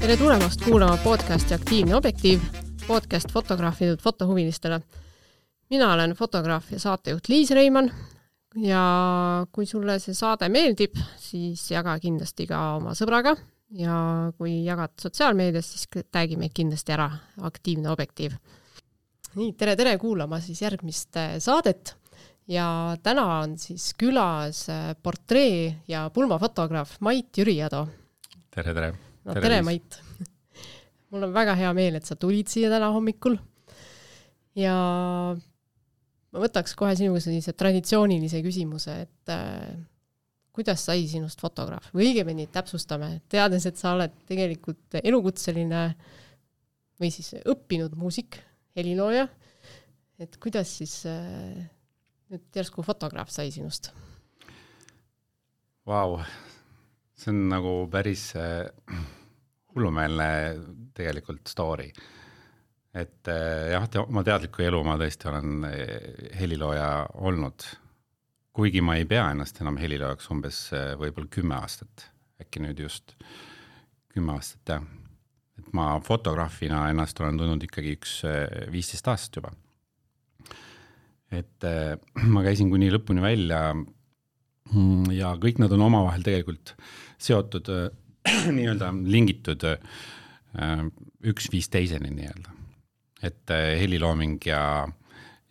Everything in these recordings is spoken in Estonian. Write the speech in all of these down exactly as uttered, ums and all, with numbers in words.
Tere tulemast kuulama podcasti Aktiivne objektiiv, podcast fotograafidud fotohuvilistele. Mina olen fotograaf ja saatejuht Liis Reimann ja kui sulle see saade meeldib, siis jaga kindlasti ka oma sõbraga ja kui jagad sotsiaalmeedias, siis tagi meid kindlasti ära Aktiivne objektiiv. Nii, tere, tere kuulama siis järgmist saadet ja täna on siis külas portree- ja pulmafotograaf Mait Jüriado. Tere, tere. No, tere, tere Mait. Mul on väga hea meel, et sa tulid siia täna hommikul. Ja ma võtaks kohe sinuga sellise traditsioonilise küsimuse, et äh, kuidas sai sinust fotograaf? Või õigemini täpsustame, teades, et sa oled tegelikult elukutseline või siis õppinud muusik, helilooja. Et kuidas siis äh, nüüd järsku fotograaf sai sinust? Vau, see on nagu päris äh, hullumeelne tegelikult story. Et äh, jah, te, oma teadliku elu ma tõesti olen helilooja olnud. Kuigi ma ei pea ennast enam heliloojaks umbes äh, võib-olla kümme aastat. Äkki nüüd just kümme aastat, jah. Et ma fotograafina ennast olen tundnud ikkagi üks äh, viisteist aastat juba. Et äh, ma käisin kuni lõpuni välja ja kõik nad on omavahel tegelikult seotud, äh, nii-öelda lingitud äh, üks viis teiseni nii-öelda. Et äh, helilooming ja,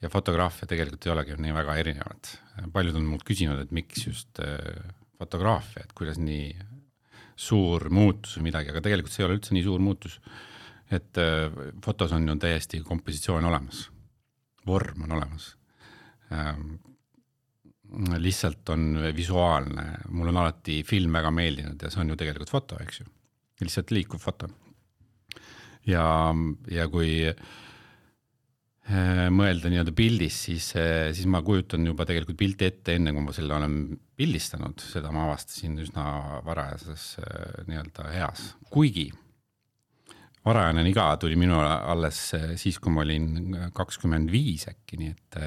ja fotograafia tegelikult ei olegi nii väga erinevad. Paljud on mult küsinud, et miks just äh, fotograafia, et kuidas nii suur muutus või midagi, aga tegelikult see ei ole üldse nii suur muutus. Et äh, fotos on ju täiesti kompositsioon olemas, vorm on olemas. Ähm, lihtsalt on visuaalne. Mul on alati film väga meeldinud ja see on ju tegelikult foto, eks ju. Lihtsalt liikuv foto. Ja, ja kui mõelda nii-öelda pildis, siis, siis ma kujutan juba tegelikult pilti ette enne, kui ma selle olen pildistanud. Seda ma avastasin üsna varajases nii-öelda heas. Kuigi varajane iga tuli minu alles siis, kui ma olin kakskümmend viis äkki, nii et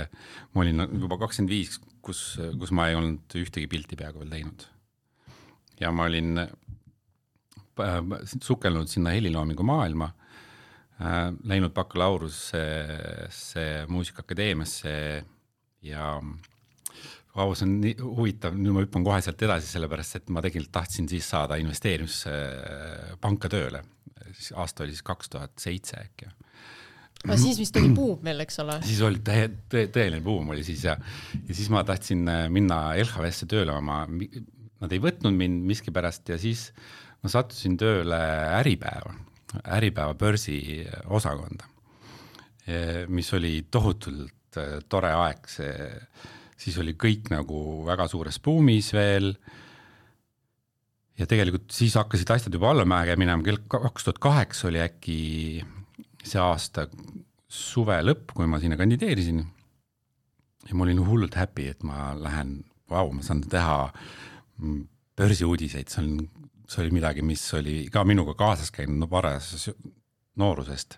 ma olin juba kakskümmend viis, kus, kus ma ei olnud ühtegi pilti peaaegu veel teinud. Ja ma olin sukelnud sinna heliloomingu maailma, läinud bakalaureuse muusikaakadeemiasse ja vau, see on nii huvitav, nüüd ma hüppan kohe sealt edasi, sellepärast, et ma tegelikult tahtsin siis saada investeerimispanka tööle. Aasta oli siis kaks tuhat seitse äkki. Aga siis vist oli buum veel, eks ole? Siis oli tõe, tõe, tõeline buum oli siis ja, ja siis ma tahtsin minna L H V-sse tööle, ma, nad ei võtnud mind miski pärast ja siis ma sattusin tööle Äripäeva, Äripäeva börsi osakonda, mis oli tohutult tore aeg. See, siis oli kõik nagu väga suures buumis veel ja tegelikult siis hakkasid asjad juba allamäge minema. kaks tuhat kaheksa oli äkki see aasta suve lõpp, kui ma sinna kandideerisin ja ma olin hullult happy, et ma lähen, vau, ma saan teha börsiuudiseid, see, on, see oli midagi, mis oli ka minuga kaasas käinud no, varajas noorusest.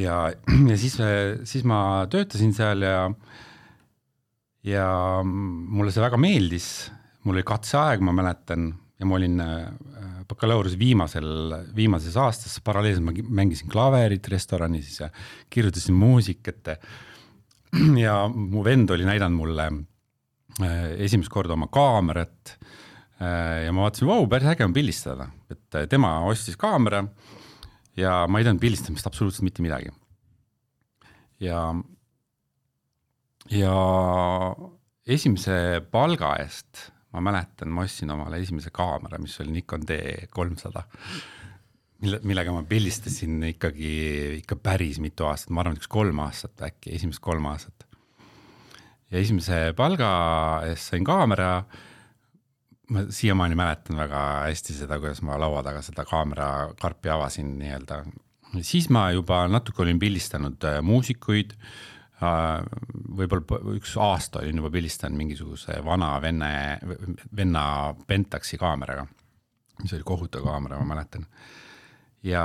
Ja, ja siis, siis ma töötasin seal ja, ja mulle see väga meeldis, mul oli katseaeg, ma mäletan, ja ma olin bakalaureuse viimasel, viimases aastas, paralleelselt ma mängisin klaverit restoranis ja kirjutasin muusikat ja mu vend oli näidanud mulle esimest korda oma kaamerat ja ma vaatasin, vau, päris äge on pildistada, et tema ostis kaamera ja ma ei teadnud pildistamist absoluutselt mitte midagi. Ja, ja esimese palga eest ma mäletan, ma ostsin omale esimese kaamera, mis oli Nikon D kolmsada, mille, millega ma pildistasin ikkagi ikka päris mitu aastat, ma arvan, üks kolm aastat äkki, esimest kolm aastat. Ja esimese palga eest sain kaamera, ma siiamaani mäletan väga hästi seda, kuidas ma laua taga seda kaamera karpi avasin nii-öelda. Siis ma juba natuke olin pildistanud muusikuid, võib-olla üks aasta olin juba pildistanud mingisuguse vana venne, venna Pentaxi kaameraga, mis oli kohutav kaamera, ma mäletan. Ja,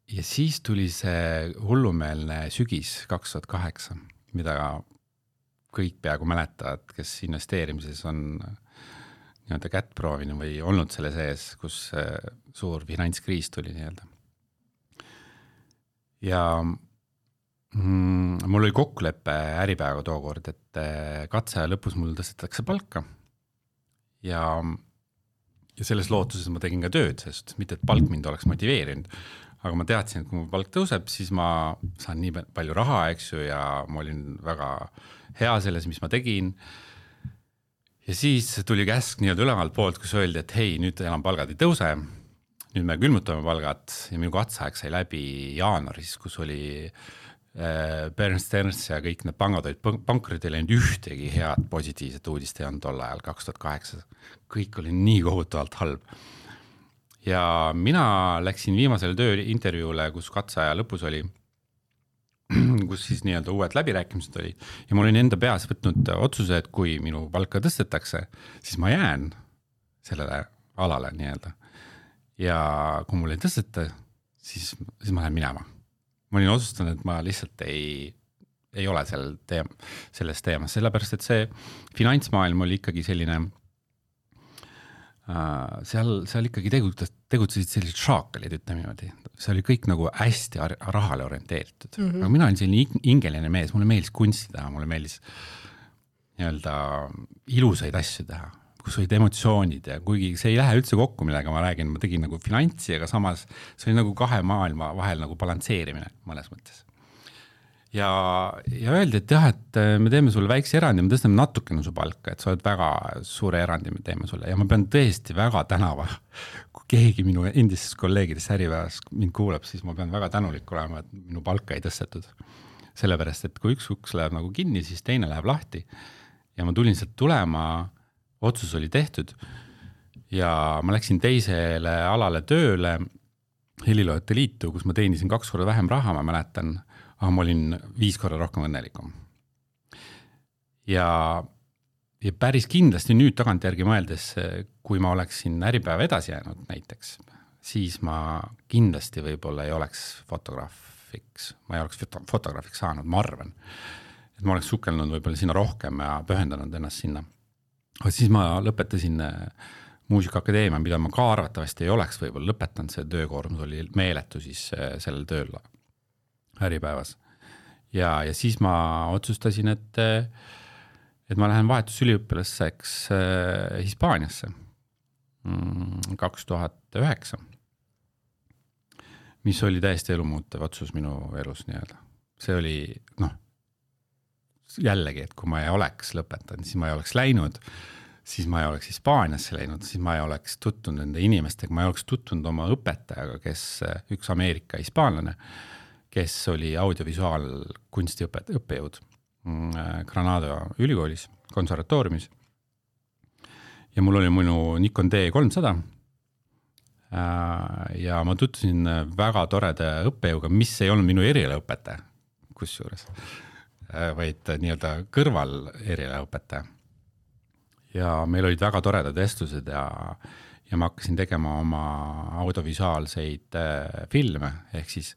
ja siis tuli see hullumeelne sügis kaks tuhat kaheksa, mida kõik peaaegu mäletavad, kes investeerimises on nii-öelda kätt proovinud või olnud selle sees, kus suur finantskriis tuli nii-öelda. Ja mm, mul oli kokkuleppe Äripäevaga tookord, et katse lõpus mul tõstetakse palka ja, ja selles lootuses ma tegin ka tööd, sest mitte, et palk mind oleks motiveerinud, aga ma teadsin, et kui mu palk tõuseb, siis ma saan nii palju raha, eks ju, ja ma olin väga hea selles, mis ma tegin. Ja siis tuli käsk nii-öelda ülevalt poolt, kus öeldi, et hei, nüüd enam palgad ei tõuse, nüüd me külmutame palgad ja minu katseaeg sai läbi jaanuaris, kus oli äh, Bear and Stearns ja kõik need pangad olid pankrotil ainult ühtegi head positiivset uudist ei olnud tol ajal kaks tuhat kaheksa. Kõik oli nii kohutavalt halb. Ja mina läksin viimasele tööintervjuule, kus katseaja lõpus oli, kus siis nii-öelda uued läbirääkimised oli ja ma olin enda peas võtnud otsuse, et kui minu palka tõstetakse, siis ma jään sellele alale nii-öelda. Ja kui mul ei tõsteta, siis, siis ma lähen minema. Ma olin otsustanud, et ma lihtsalt ei, ei ole sel teem, selles teemas, sellepärast, et see finantsmaailm oli ikkagi selline Uh, seal, seal ikkagi tegutsesid, tegutsesid sellised šaakalid, ütleme niimoodi. See oli kõik nagu hästi rahale orienteeritud. Mm -hmm. Aga mina olin selline ingeline mees, mulle meeldis kunsti teha, mulle meeldis nii-öelda ilusaid asju teha, kus olid emotsioonid ja kuigi see ei lähe üldse kokku, millega ma räägin, ma tegin nagu finantsi, aga samas see oli nagu kahe maailma vahel nagu balansseerimine mõnes mõttes. Ja, ja öeldi, et jah, et me teeme sulle väikse erandi, me tõstame natukene su palka, et sa oled väga suure erandi, me teeme sulle. Ja ma pean tõesti väga tänava, kui keegi minu endisest kolleegidest Äripäevas mind kuuleb, siis ma pean väga tänulik olema, et minu palka ei tõstetud. Sellepärast, et kui üks uks läheb nagu kinni, siis teine läheb lahti. Ja ma tulin sealt tulema, otsus oli tehtud ja ma läksin teisele alale tööle Heliloojate liitu, kus ma teenisin kaks korda vähem raha, ma mäletan, aga ma olin viis korda rohkem õnnelikum. Ja, ja päris kindlasti nüüd tagantjärgi mõeldes, kui ma oleksin Äripäeva edasi jäänud näiteks, siis ma kindlasti võib-olla ei oleks fotograafiks, ma ei oleks fotograafiks saanud, ma arvan. Et ma oleks sukelnud võib-olla sinna rohkem ja pühendanud ennast sinna. Aga siis ma lõpetasin muusikaakadeemia, mida ma ka arvatavasti ei oleks võib-olla lõpetanud, see töökoormus oli meeletu siis sellel tööl Äripäevas. Ja, ja siis ma otsustasin, et, et ma lähen vahetusüliõpilaseks Hispaaniasse kaks tuhat üheksa, mis oli täiesti elumuutev otsus minu elus nii-öelda. See oli, noh, jällegi, et kui ma ei oleks lõpetanud, siis ma ei oleks läinud, siis ma ei oleks Hispaaniasse läinud, siis ma ei oleks tuttunud nende inimestega, ma ei oleks tuttunud oma õpetajaga, kes üks Ameerika hispaanlane, kes oli audiovisuaalkunsti õppejõud Granada ülikoolis, konservatooriumis. Ja mul oli minu Nikon D kolmsada ja ma tutvusin väga toreda õppejõuga, mis ei olnud minu erialaõpetaja, kusjuures, vaid nii-öelda kõrval erialaõpetaja. Ja meil olid väga toredad vestlused ja, ja ma hakkasin tegema oma audiovisuaalseid filme, ehk siis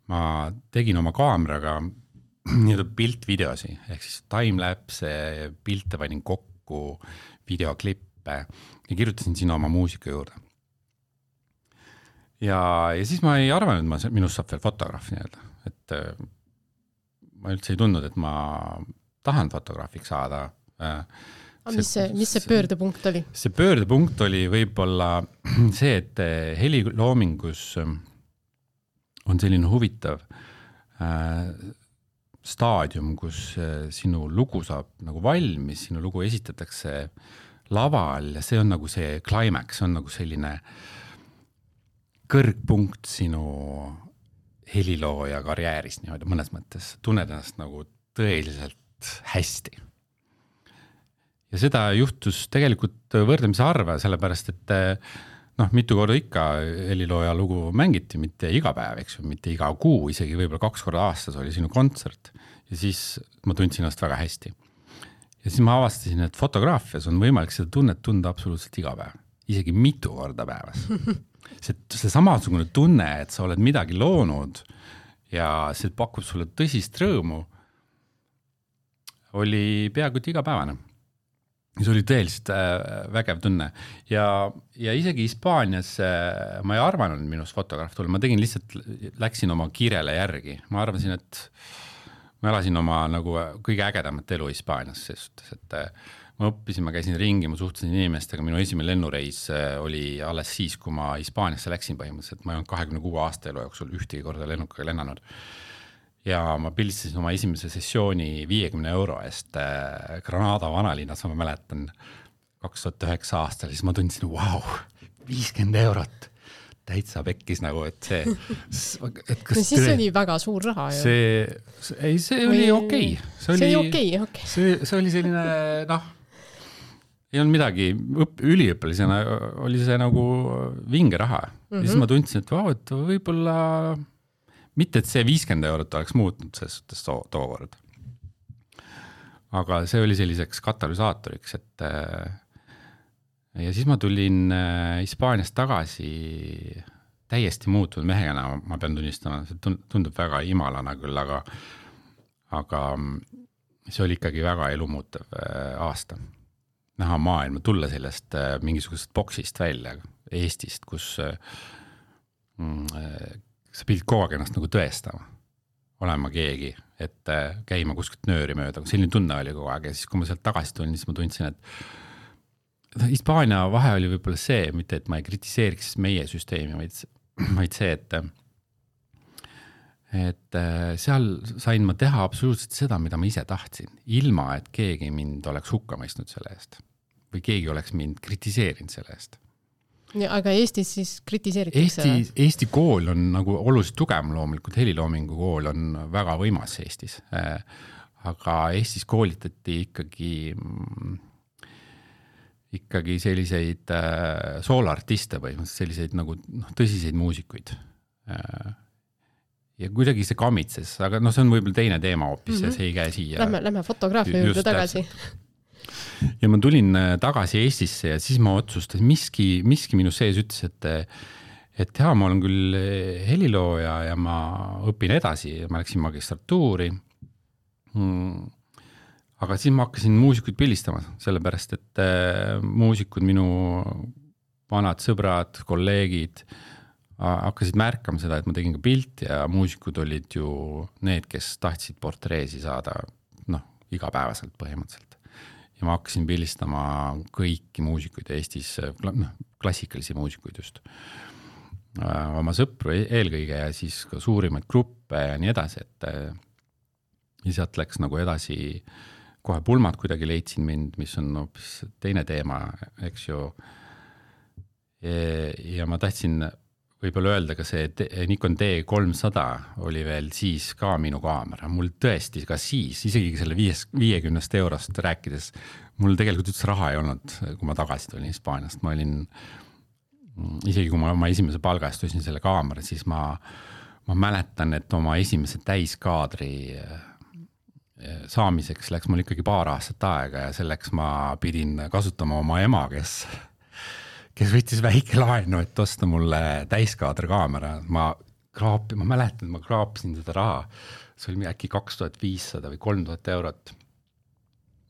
ma tegin oma kaameraga nii-öelda piltvideosi, ehk siis timelapse, pilte panin kokku, videoklippe ja kirjutasin sinna oma muusika juurde. Ja, ja siis ma ei arvanud, et ma, minust saab veel fotograaf nii-öelda, et ma üldse ei tundnud, et ma tahan fotograafiks saada. See, mis, see, mis see pöördepunkt oli? See pöördepunkt oli võib-olla see, et heliloomingus on selline huvitav äh, staadium, kus äh, sinu lugu saab nagu valmis, sinu lugu esitatakse laval ja see on nagu see climax, on nagu selline kõrgpunkt sinu helilooja karjääris niimoodi mõnes mõttes. Tunned ennast nagu tõeliselt hästi. Ja seda juhtus tegelikult võrdlemise arve, sellepärast, et noh, mitu korda ikka helilooja lugu mängiti, mitte iga päev, eks ju, mitte iga kuu, isegi võib-olla kaks korda aastas oli sinu kontsert ja siis ma tundsin ennast väga hästi. Ja siis ma avastasin, et fotograafias on võimalik seda tunnet tunda absoluutselt iga päev, isegi mitu korda päevas. See, see samasugune tunne, et sa oled midagi loonud ja see pakub sulle tõsist rõõmu, oli peaaegu igapäevane. see oli tõeliselt vägev tunne ja, ja isegi Hispaanias ma ei arvanud minust fotograaf tulla, ma tegin lihtsalt, läksin oma kirele järgi, ma arvasin, et ma elasin oma nagu kõige ägedamat elu Hispaanias, sest et ma õppisin, ma käisin ringi, ma suhtlesin inimestega, minu esimene lennureis oli alles siis, kui ma Hispaaniasse läksin põhimõtteliselt, ma ei olnud kahekümne kuue aasta elu jooksul ühtegi korda lennukaga lennanud. Ja ma pildistasin oma esimese sessiooni viiekümne euro eest Granada vanalinnas, ma mäletan kaks tuhat üheksa aastal, siis ma tundsin, vau, viiskümmend eurot, täitsa pekkis nagu, et see... Et kas no siis tõe... oli väga suur raha ju. See, see, ei, see Või... oli okei. Okay. See oli, see oli okei, okay, okei. Okay. See, see oli selline, noh, ei olnud midagi, üliõpilisena oli see nagu vinge raha. Mm-hmm. Ja siis ma tundsin, et vau, et võib-olla... Mitte, et see viiskümmend eurot oleks muutnud selles suhtes to- tookord. Aga see oli selliseks katalüsaatoriks, et ja siis ma tulin Hispaaniast tagasi täiesti muutunud mehena, ma pean tunnistama, see tundub väga imalana küll, aga, aga see oli ikkagi väga elumuutev aasta. Näha maailma, tulla sellest mingisugusest boksist välja Eestist, kus mm, sa pidid kogu aeg ennast nagu tõestama, olema keegi, et käima kuskilt nööri mööda, selline tunne oli kogu aeg ja siis kui ma sealt tagasi tulin, siis ma tundsin, et Hispaania vahe oli võib-olla see, mitte et ma ei kritiseeriks meie süsteemi, vaid, vaid see, et et seal sain ma teha absoluutselt seda, mida ma ise tahtsin, ilma et keegi mind oleks hukka mõistnud selle eest või keegi oleks mind kritiseerinud selle eest. Ja, aga Eestis siis kritiseeritakse? Eesti, Eesti kool on nagu oluliselt tugevam loomulikult, heliloomingu kool on väga võimas Eestis, aga Eestis koolitati ikkagi, ikkagi selliseid sooloartiste põhimõtteliselt, selliseid nagu noh, tõsiseid muusikuid. Ja kuidagi see kamitses, aga no see on võib-olla teine teema hoopis mm-hmm. ja see ei käe siia. Lähme, lähme fotograafia juurde tagasi. Ja ma tulin tagasi Eestisse ja siis ma otsustasin, miski, miski minu sees ütles, et, et jaa, ma olen küll helilooja ja ma õpin edasi, ma läksin magistratuuri. Hmm. Aga siis ma hakkasin muusikuid pildistama, sellepärast, et muusikud, minu vanad sõbrad, kolleegid hakkasid märkama seda, et ma tegin ka pilt ja muusikud olid ju need, kes tahtsid portreesi saada noh, igapäevaselt põhimõtteliselt. Ja ma hakkasin pildistama kõiki muusikuid Eestis, noh, klassikalisi muusikuid just. Oma sõpru eelkõige ja siis ka suurimaid gruppe ja nii edasi, et ja sealt läks nagu edasi, kohe pulmad kuidagi leidsin mind, mis on hoopis teine teema, eks ju. Ja ma tahtsin võib-olla öelda ka see Nikon D kolmsada oli veel siis ka minu kaamera. Mul tõesti ka siis, isegi selle viiekümnest eurost rääkides, mul tegelikult üldse raha ei olnud, kui ma tagasi tulin Hispaaniast. Ma olin, isegi kui ma oma esimese palga eest ostsin selle kaamera, siis ma, ma mäletan, et oma esimese täiskaadri saamiseks läks mul ikkagi paar aastat aega ja selleks ma pidin kasutama oma ema, kes kes võttis väike laenu, et osta mulle täiskaadri kaamera. Ma, kraapi, ma mäletan, ma kraapisin seda raha. See oli äkki kaks tuhat viissada või kolm tuhat eurot.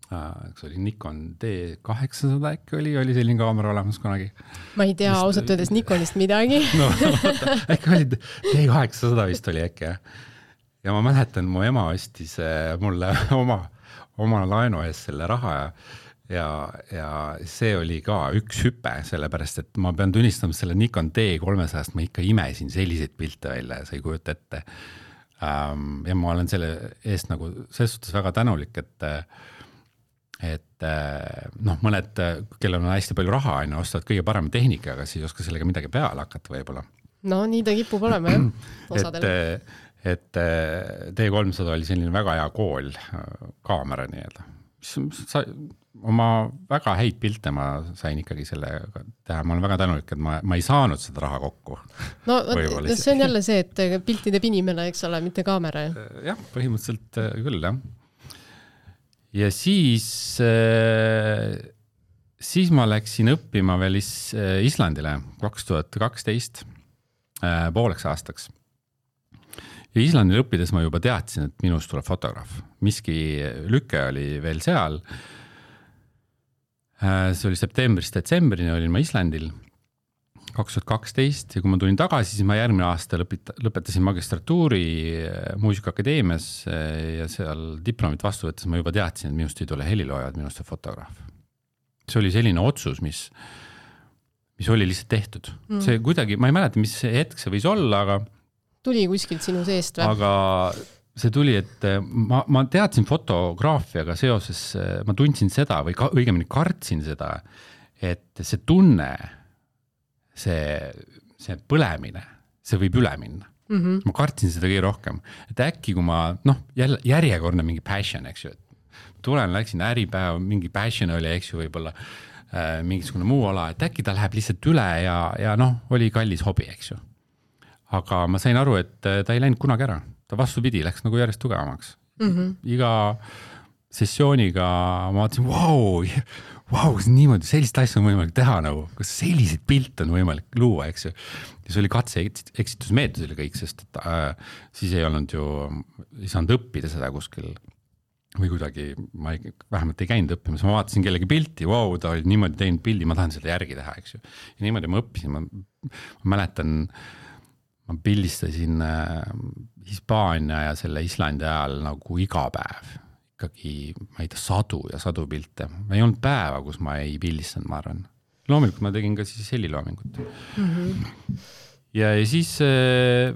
See oli Nikon D kaheksasada äkki oli, oli selline kaamera olemas kunagi. Ma ei tea vist, ausalt öeldes Nikonist midagi. No, äkki oli D kaheksasada vist oli äkki. Ja ma mäletan, mu ema ostis mulle oma, oma laenu ees selle raha ja Ja, ja see oli ka üks hüpe, sellepärast, et ma pean tunnistama selle Nikon D kolmesada, ma ikka imesin selliseid pilte välja ja sa ei kujuta ette. Ja ma olen selle eest nagu selles suhtes väga tänulik, et, et noh, mõned, kellel on hästi palju raha, aina ostavad kõige parema tehnika, aga siis ei oska sellega midagi peale hakata võib-olla. No nii ta kipub olema, jah, osadele. Et, et D kolmsada oli selline väga hea kool kaamera nii-öelda. Sa, oma väga häid pilte ma sain ikkagi selle teha, ma olen väga tänulik, et ma, ma ei saanud seda raha kokku. No see on jälle see, et pilti teeb inimene, eks ole, mitte kaamera. Jah, põhimõtteliselt küll, jah. Ja siis, siis ma läksin õppima veel Islandile kaks tuhat kaksteist pooleks aastaks. Ja Islandil õppides ma juba teadsin, et minust tuleb fotograaf. Miski lüke oli veel seal. see oli septembrist detsembrini, olin ma Islandil kaks tuhat kaksteist ja kui ma tulin tagasi, siis ma järgmine aasta lõpeta, lõpetasin magistratuuri Muusikaakadeemias ja seal diplomit vastu võttes ma juba teadsin, et minust ei tule helilooja, et minust on fotograaf. See oli selline otsus, mis, mis oli lihtsalt tehtud. Mm. See kuidagi, ma ei mäleta, mis hetk see võis olla, aga tuli kuskilt sinu seest või? Aga see tuli, et ma, ma teadsin fotograafiaga seoses, ma tundsin seda või ka, õigemini kartsin seda, et see tunne, see, see põlemine, see võib üle minna. Mm-hmm. Ma kartsin seda kõige rohkem. Et äkki, kui ma, noh, jälle, järjekordne mingi passion, eks ju, et tulen, läksin äripäev, mingi passion oli, eks ju, võib-olla äh, mingisugune muu ala, et äkki ta läheb lihtsalt üle ja, ja noh, oli kallis hobi, eks ju. Aga ma sain aru, et ta ei läinud kunagi ära. Ta vastupidi, läks nagu järjest tugevamaks. Mm-hmm. Iga sessiooniga ma vaatasin, vau, vau, niimoodi, sellist asja on võimalik teha nagu, kas selliseid pilte on võimalik luua, eks ju. Ja see oli katse eksitusmeetodil kõik, sest et, äh, siis ei olnud ju, ei saanud õppida seda kuskil või kuidagi, ma ei, vähemalt ei käinud õppimas, ma vaatasin kellegi pilti, vau, ta oli niimoodi teinud pildi, ma tahan seda järgi teha, eks ju. Ja niimoodi ma õppisin, ma, ma mäletan, ma pildistasin äh, Hispaania ja selle Islandi ajal nagu iga päev. Ikkagi, ma ei tea, sadu ja sadu pilte. Ei olnud päeva, kus ma ei pildistanud, ma arvan. Loomulikult ma tegin ka siis heliloomingut. Mm-hmm. Ja, ja siis äh,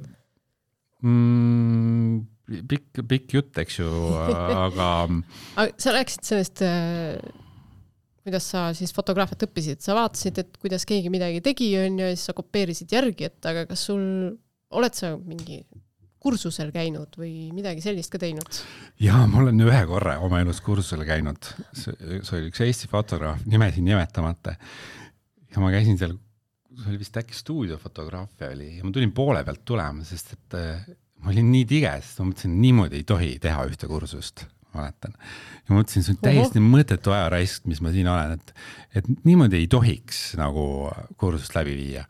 mm, pikk, pikk jutt, eks ju, aga... aga sa rääkisid sellest... Äh... kuidas sa siis fotograafiat õppisid, sa vaatasid, et kuidas keegi midagi tegi on ja siis sa kopeerisid järgi, et aga kas sul, oled sa mingi kursusel käinud või midagi sellist ka teinud? Jaa, ma olen ühe korra oma elus kursusel käinud. See, see oli üks Eesti fotograaf, nimesin nimetamata. Ja ma käisin seal, see oli vist äkki stuudiofotograafia oli ja ma tulin poole pealt tulema, sest et ma olin nii tige, sest ma mõtlesin, niimoodi ei tohi teha ühte kursust. Mäletan. Ja ma mõtlesin, see on täiesti mõttetu ajaraisk, mis ma siin olen, et, et niimoodi ei tohiks nagu kursust läbi viia.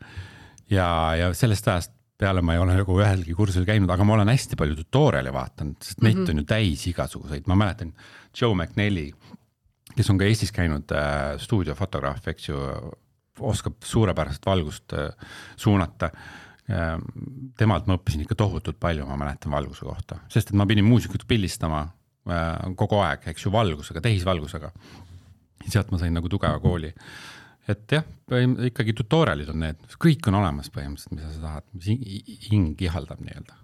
Ja, ja sellest ajast peale ma ei ole nagu ühelgi kursusel käinud, aga ma olen hästi palju tutoriali vaatanud, sest neid mm-hmm. on ju täis igasuguseid. Ma mäletan Joe McNally, kes on ka Eestis käinud äh, stuudiofotograaf, eks ju, oskab suurepäraselt valgust äh, suunata. Äh, temalt ma õppisin ikka tohutult palju, ma mäletan valguse kohta, sest et ma pidin muusikut pildistama kogu aeg, eks ju, valgusega, tehisvalgusega. Sealt ma sain nagu tugeva kooli. Et jah, ikkagi tutorialid on need, kõik on olemas põhimõtteliselt, mida sa tahad, mis hing ihaldab nii-öelda.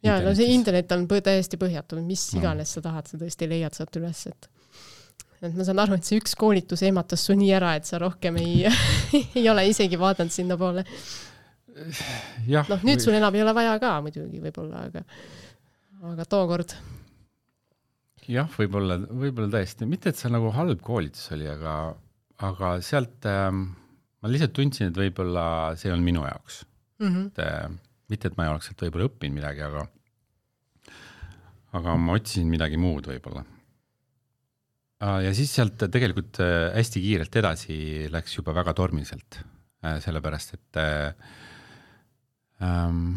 Ja, no see internet on täiesti põhjatu, mis iganes sa tahad, sa tõesti leiad sealt üles, et, et ma saan aru, et see üks koolitus ematas su nii ära, et sa rohkem ei, ei ole isegi vaadanud sinna poole. Ja, noh, nüüd sul enam ei ole vaja ka muidugi võib-olla, aga, aga tookord... Jah, võib-olla, võib-olla tõesti. Mitte, et see nagu halb koolitus oli, aga, aga sealt ähm, ma lihtsalt tundsin, et võib-olla see on minu jaoks. Mm-hmm. Et, äh, mitte, et ma ei oleks sealt võib-olla õppinud midagi, aga, aga ma otsisin midagi muud võib-olla. Äh, ja siis sealt tegelikult äh, hästi kiirelt edasi läks juba väga tormiselt. Äh, sellepärast, et äh, ähm,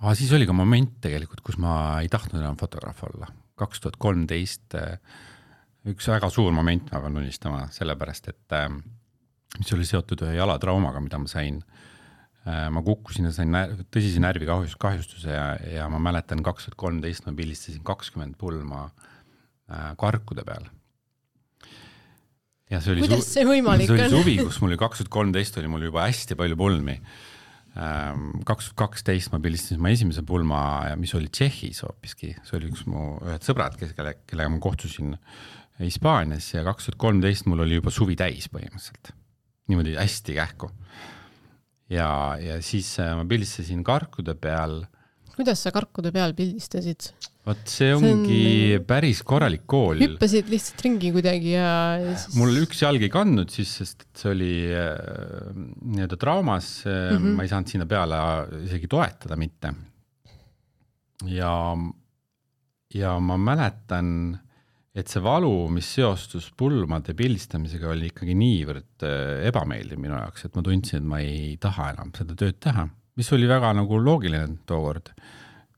ah, siis oli ka moment tegelikult, kus ma ei tahtnud enam fotograaf olla. kaks tuhat kolmteist üks väga suur moment ma pean tunnistama, sellepärast, et mis oli seotud ühe jalatraumaga, mida ma sain. Ma kukkusin ja sain tõsise närvi kahjustuse ja, ja ma mäletan kaks tuhat kolmteist ma pildistasin kakskümmend pulma karkude peal. Ja see oli Kuidas see võimalik on? See oli suvi, kus mul oli kaks tuhat kolmteist oli mul juba hästi palju pulmi. kaks tuhat kaksteist ma pildistasin ma esimese pulma, mis oli Tšehhis hoopiski. See oli üks mu ühed sõbrad, kelle, kellega ma kohtusin Hispaanias ja kaks tuhat kolmteist mul oli juba suvi täis põhimõtteliselt. Niimoodi hästi kähku. Ja, ja siis ma pildistasin karkude peal. Kuidas sa karkude peal pildistasid? Vot see ongi see on... päris korralik kool. Hüppasid lihtsalt ringi kuidagi ja... Siis... Mul üks jalg ei kandnud siis, sest see oli äh, nii-öelda traumas. Mm-hmm. Ma ei saanud sinna peale isegi toetada mitte. Ja, ja ma mäletan, et see valu, mis seostus pulmade pildistamisega, oli ikkagi niivõrd ebameeldiv minu jaoks, et ma tundsin, et ma ei taha enam seda tööd teha, mis oli väga nagu loogiline tookord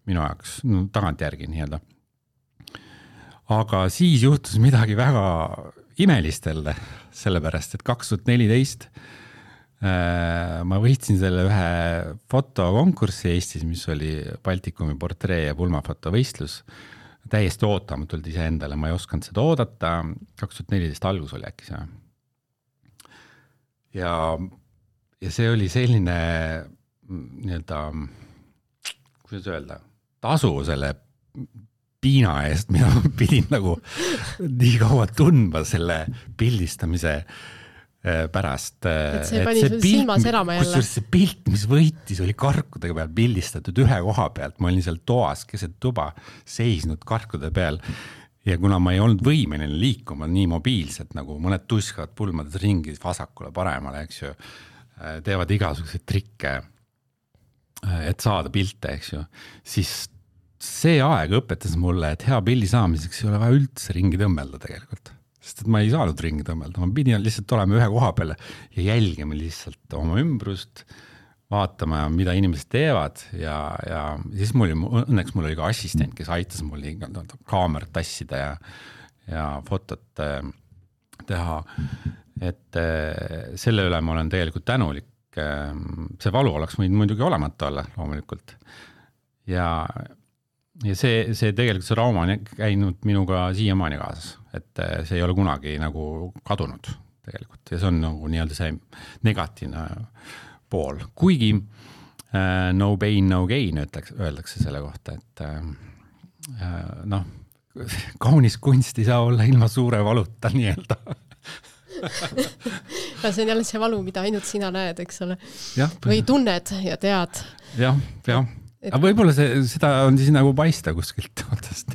minu jaoks, no tagant järgi nii-öelda. aga siis juhtus midagi väga imelist jälle, sellepärast, et kaks tuhat neliteist ma võitsin selle ühe fotokonkurssi Eestis, mis oli Baltikumi portree- ja pulmafotovõistlus. Täiesti ootamatult ise endale, ma ei osanud seda oodata. kaks tuhat neliteist algus oli äkki see. Ja, ja see oli selline nii-öelda, kuidas öelda, tasu selle piina eest, mida ma pidin nagu nii kaua tundma selle pildistamise pärast. Et see pani sul silma särama jälle. Kusjuures see pilt, mis võitis, oli karkudega peal pildistatud ühe koha pealt. Ma olin seal toas keset tuba seisnud karkude peal ja kuna ma ei olnud võimeline liikuma nii mobiilselt, nagu mõned tuskavad pulmades ringi vasakule paremale, eks ju, teevad igasuguseid trikke, et saada pilte, eks ju, siis see aeg õpetas mulle, et hea pildi saamiseks ei ole vaja üldse ringi tõmmelda tegelikult. Sest et ma ei saanud ringi tõmmelda, ma pidin lihtsalt olema ühe koha peale ja jälgima lihtsalt oma ümbrust, vaatama, mida inimesed teevad ja, ja siis mul oli, õnneks mul oli ka assistent, kes aitas mul kaamerat tassida ja, ja fotot teha, et selle üle ma olen tegelikult tänulik. See valu oleks võinud muidugi olemata olla loomulikult ja Ja see, see tegelikult see rauma on käinud minuga siiamaani kaasas, et see ei ole kunagi nagu kadunud tegelikult ja see on nagu nii-öelda see negatiivne pool. Kuigi äh, no pain, no gain öeldakse, öeldakse selle kohta, et äh, noh, kaunis kunst ei saa olla ilma suure valuta nii-öelda. see on jälle see valu, mida ainult sina näed, eks ole. Ja, või tunned ja tead. Jah, jah. Aga võib-olla see, seda on siis nagu paista kuskilt otsast.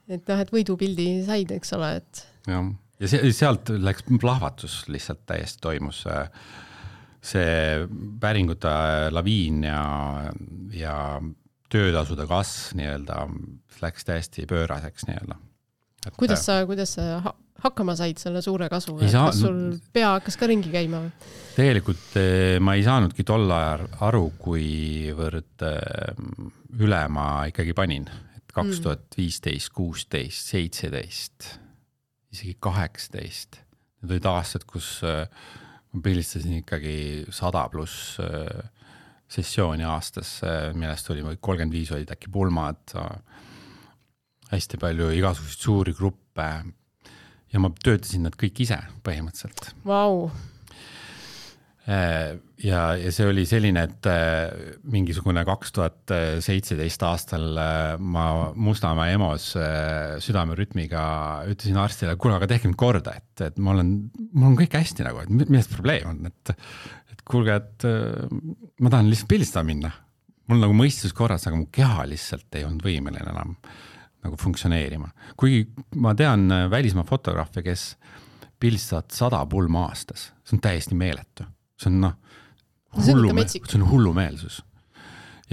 et noh, et võidupildi said, eks ole. Et... Ja, ja see, sealt läks plahvatus lihtsalt täiesti toimus see päringute laviin ja, ja töötasude kasv nii-öelda läks täiesti pööraseks nii-öelda. Et... Kuidas sa, kuidas sa hakkama said selle suure kasvu? Saa... Kas sul pea hakkas ka ringi käima? Tegelikult ma ei saanudki tol ajal aru, kuivõrd üle ma ikkagi panin. Et kaks tuhat viisteist, kuusteist, seitseteist, isegi kaheksateist. Need olid aastad, kus ma pildistasin ikkagi sada pluss sessiooni aastas, millest oli kolmkümmend viis olid äkki pulmad, hästi palju igasuguseid suuri gruppe ja ma töötasin nad kõik ise põhimõtteliselt. Vau! Ja, ja see oli selline, et mingisugune kaks tuhat seitseteist aastal ma Mustamäe EMO-s südamerütmiga ütlesin arstile, kuule, aga tehke mind korda, et, et ma olen, mul on kõik hästi nagu, et millest probleem on, et, et kuulge, et ma tahan lihtsalt pildistada minna. Mul nagu mõistus korras, aga mu keha lihtsalt ei olnud võimeline enam nagu funktsioneerima. Kuigi ma tean välismaa fotograafe, kes pildistavad sada pulma aastas, see on täiesti meeletu. See on, no, hullu, see on hullumeelsus.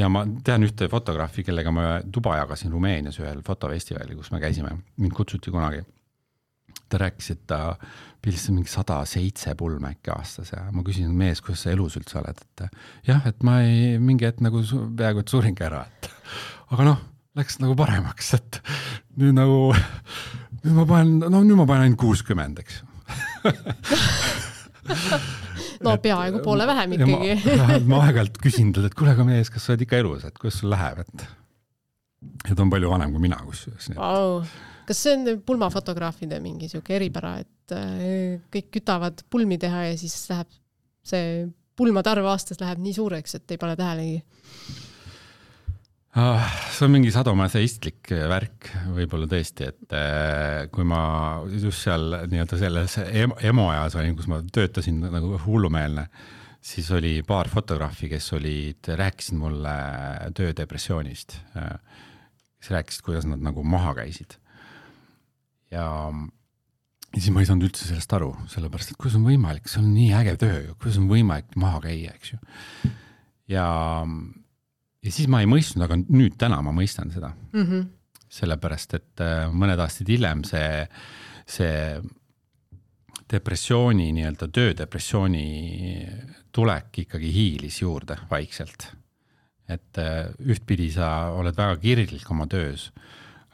Ja ma tean ühte fotograafi, kellega ma tuba jagasin Rumeenias ühel fotofestivali, kus me käisime. Mind kutsuti kunagi. Ta rääkis, et ta pildistas mingi sada seitse pulma äkki aastas ja ma küsin, mees, kuidas sa elus üldse oled? Et jah, et ma ei, mingi et nagu peaaegu et suringi ära. Et, aga noh, läks nagu paremaks, et nüüd nagu, nüüd ma panen, no nüüd ma panen ainult kuuskümmend, eks. No peaaegu poole vähem ikkagi. Ma, ma aeg-ajalt küsin talt, et kuule, aga mees, kas sa oled ikka elus, et kuidas sul läheb? Et, et on palju vanem kui mina. Kus, wow. Kas see on pulmafotograafide mingi siuke eripära, et kõik kütavad pulmi teha ja siis läheb see pulmade arv aastas läheb nii suureks, et ei pane tähelegi? See on mingi sadomaseistlik värk võib-olla tõesti, et kui ma just seal nii-öelda selles emo ajas olin, kus ma töötasin nagu hullumeelne, siis oli paar fotograafi, kes olid, rääkisid mulle töödepressioonist, kes rääkisid, kuidas nad nagu maha käisid. Ja siis ma ei saanud üldse sellest aru, sellepärast, et kuidas on võimalik, see on nii äge töö, kuidas on võimalik maha käia, eks ju. Ja Ja siis ma ei mõistnud, aga nüüd täna ma mõistan seda. Mm-hmm. Sellepärast, et mõned aastad hiljem see, see depressiooni, nii-öelda töödepressiooni tulek ikkagi hiilis juurde vaikselt. Et ühtpidi sa oled väga kirglik oma töös,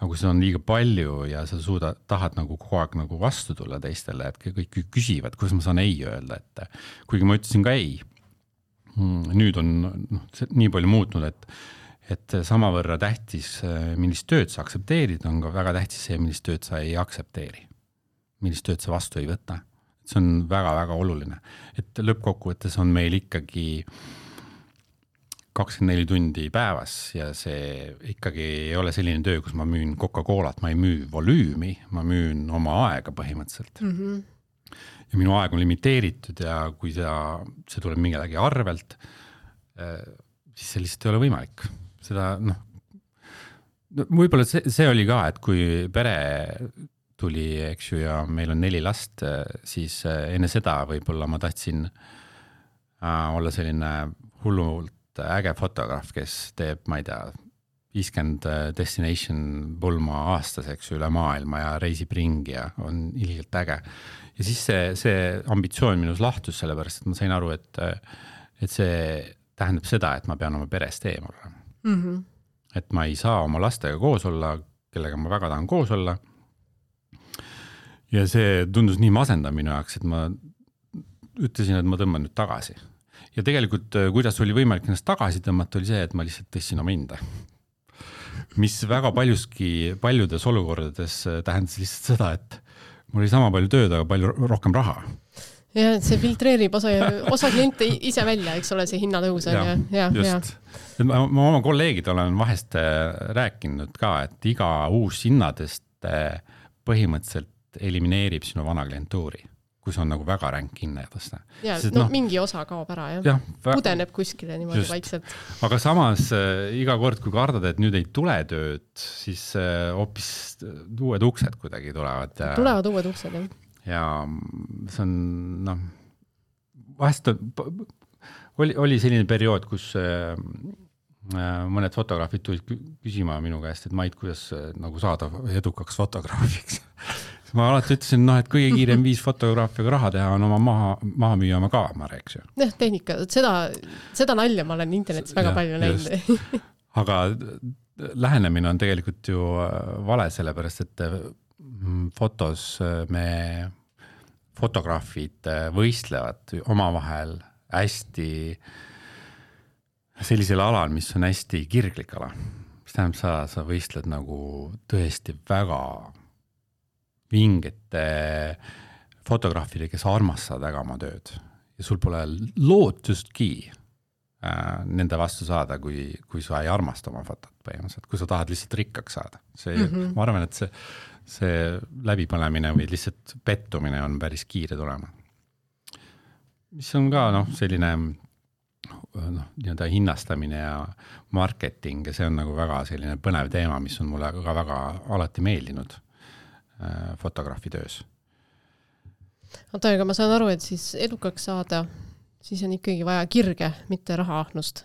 aga kui seda on liiga palju ja sa suuda, tahad nagu kogu aeg nagu vastu tulla teistele, et kõik küsivad, kuidas ma saan ei öelda, et kuigi ma ütlesin ka ei, nüüd on no, nii palju muutnud, et, et samavõrra tähtis, millist tööd sa aktsepteerid, on ka väga tähtis see, millist tööd sa ei aktsepteeri, millist tööd sa vastu ei võta. See on väga-väga oluline, et lõppkokkuvõttes on meil ikkagi kakskümmend neli tundi päevas ja see ikkagi ei ole selline töö, kus ma müün Coca-Colat, ma ei müü volüümi, ma müün oma aega põhimõtteliselt. Mm-hmm. Ja minu aeg on limiteeritud ja kui see, see tuleb mingilegi arvelt, siis see lihtsalt ei ole võimalik. Seda, noh, võib-olla see, see oli ka, et kui pere tuli, eks ju, ja meil on neli last, siis enne seda võib-olla ma tahtsin olla selline hullult äge fotograaf, kes teeb, ma ei tea, viiskümmend destination pulma aastas, eks ju, üle maailma ja reisib ringi ja on ilgelt äge. Ja siis see, see ambitsioon minus lahtus sellepärast, et ma sain aru, et, et see tähendab seda, et ma pean oma perest eemal. Mm-hmm. Et ma ei saa oma lastega koos olla, kellega ma väga tahan koos olla. Ja see tundus nii masendav minu jaoks, et ma ütlesin, et ma tõmban nüüd tagasi. Ja tegelikult, kuidas oli võimalik ennast tagasi tõmmata, oli see, et ma lihtsalt tõssin oma hinda. Mis väga paljuski, paljudes olukordades tähendas lihtsalt seda, et mul oli sama palju tööd, aga palju rohkem raha. Ja see filtreerib osa, osa kliente ise välja, eks ole, see hinnatõus. Ja, ja, just. Ja. Ma, ma oma kolleegid olen vahest rääkinud ka, et iga uus hinnadest põhimõtteliselt elimineerib sinu vana klientuuri, kus on nagu väga ränk hinnadest. Ja, Sest, no, no mingi osa kaob ära, jah. Ja, vä... Pudeneb kuskile niimoodi just. Vaikselt. Aga samas äh, iga kord, kui kardad, et nüüd ei tule tööd, siis äh, hoopis uued uksed kuidagi tulevad. Ja... Tulevad uued uksed, jah. Ja see on, noh, vahest oli, oli selline periood, kus äh, mõned fotograafid tulid küsima minu käest, et Mait, kuidas nagu saada edukaks fotograafiks. Ma alati ütlesin, no, et kõige kiirem viis fotograafiaga raha teha on oma maha, maha müüa oma kaamera, eks ju. Jah, tehnika, seda, seda nalja ma olen internetis väga ja, palju näinud. Aga lähenemine on tegelikult ju vale, sellepärast, et fotos me fotograafid võistlevad omavahel hästi sellisel alal, mis on hästi kirglik ala. Mis tähendab, sa, sa võistled nagu tõesti väga vingete fotograafide, kes armastavad väga oma tööd. Ja sul pole lootustki äh, nende vastu saada, kui, kui sa ei armasta oma fotot põhimõtteliselt, kui sa tahad lihtsalt rikkaks saada. See, mm-hmm. Ma arvan, et see, see läbipõlemine või lihtsalt pettumine on päris kiire tulema. Mis on ka noh, selline noh, nii-öelda hinnastamine ja marketing ja see on nagu väga selline põnev teema, mis on mulle ka väga alati meeldinud äh, fotograafi töös. Oota, aga ma saan aru, et siis edukaks saada, siis on ikkagi vaja kirge, mitte rahaahnust.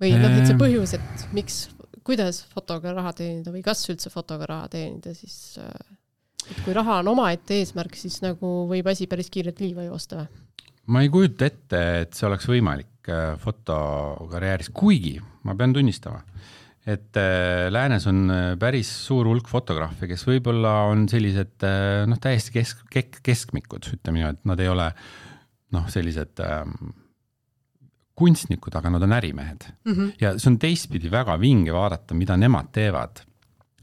Või noh, et see põhjus, et miks, kuidas fotoga raha teenida või kas üldse fotoga raha teenida, siis et kui raha on omaette eesmärk, siis nagu võib asi päris kiirelt liiva joosta või? Ma ei kujuta ette, et see oleks võimalik fotokarjääris, kuigi ma pean tunnistama, et läänes on päris suur hulk fotograafe, kes võib-olla on sellised noh, täiesti kesk, kesk, keskmikud, ütleme nii, et nad ei ole noh, sellised ähm, kunstnikud, aga nad on ärimehed. Mm-hmm. Ja see on teistpidi väga vinge vaadata, mida nemad teevad,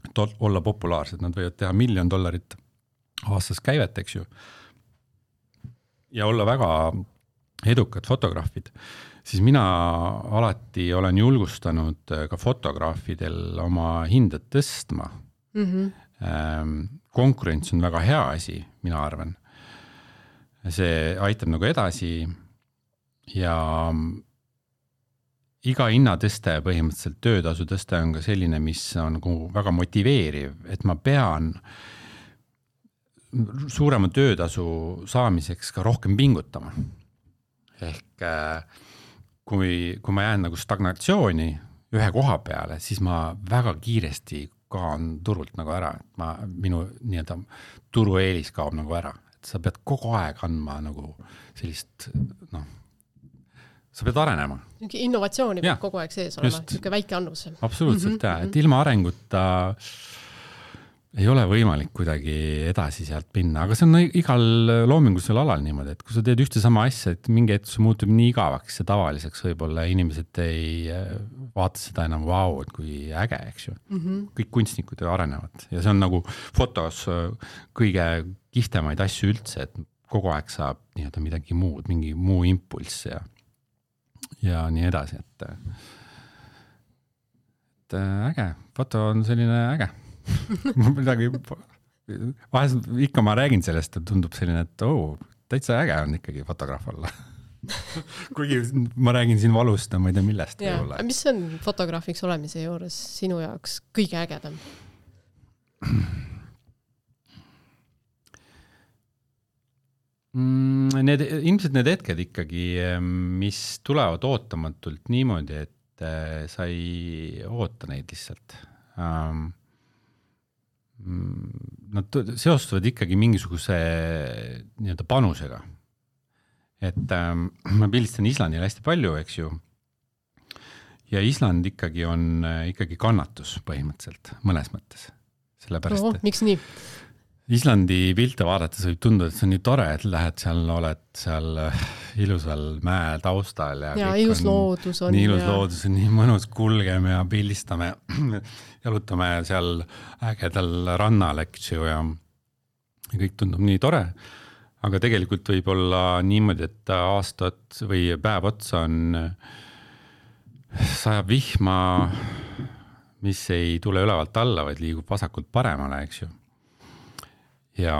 et olla populaarsed. Nad võivad teha miljon dollarit aastas käivet, eks ju. Ja olla väga edukad fotograafid, siis mina alati olen julgustanud ka fotograafidel oma hindad tõstma. Mm-hmm. Konkurents on väga hea asi, mina arvan. See aitab nagu edasi ja iga hinnatõste põhimõtteliselt töötasu tõste on ka selline, mis on nagu väga motiveeriv, et ma pean suurema töötasu saamiseks ka rohkem pingutama. Ehk kui, kui ma jään nagu stagnatsiooni ühe koha peale, siis ma väga kiiresti kaan turult nagu ära. Ma, minu nii-öelda turueelis kaob nagu ära. Et sa pead kogu aeg andma nagu sellist, noh, sa pead arenema. Innovatsiooni peab kogu aeg sees olema, niisugune väike annus. Absoluutselt, mm-hmm. jah, et ilma arenguta ei ole võimalik kuidagi edasi sealt minna, aga see on igal loomingulisel alal niimoodi, et kui sa teed ühte sama asja, et mingi hetk see muutub nii igavaks ja tavaliseks, võib-olla inimesed ei vaata seda enam vau, et kui äge, eks ju. Mm-hmm. Kõik kunstnikud arenevad ja see on nagu fotos kõige kihvemaid asju üldse, et kogu aeg saab nii-öelda midagi muud, mingi muu impulss ja, ja nii edasi, et, et äge, foto on selline äge. midagi, vahest ikka ma räägin sellest, et tundub selline, et oh, täitsa äge on ikkagi fotograaf olla. Kuigi ma räägin siin valust ja ma ei tea millest. Ja, mis on fotograafiks olemise juures sinu jaoks kõige ägedam? Need, ilmselt need hetked ikkagi, mis tulevad ootamatult niimoodi, et sa ei oota neid lihtsalt. Um, Nad seostuvad ikkagi mingisuguse nii-öelda panusega. Et ähm, ma pildistan Islandil hästi palju, eks ju. Ja Island ikkagi on ikkagi kannatus põhimõtteliselt mõnes mõttes. Sellepärast, Oho, miks nii? Islandi pilte vaadates võib tunduda, et see on nii tore, et lähed seal, oled seal ilusal mäe taustal. Ja, ja ilus on, loodus on. Nii ilus ja... loodus on, nii mõnus kulgeme ja pildistame, jalutame seal ägedal rannal, eks ju, ja kõik tundub nii tore. Aga tegelikult võib olla niimoodi, et aastat või päev otsa on sajab vihma, mis ei tule ülevalt alla, vaid liigub vasakult paremale, eks ju. Ja,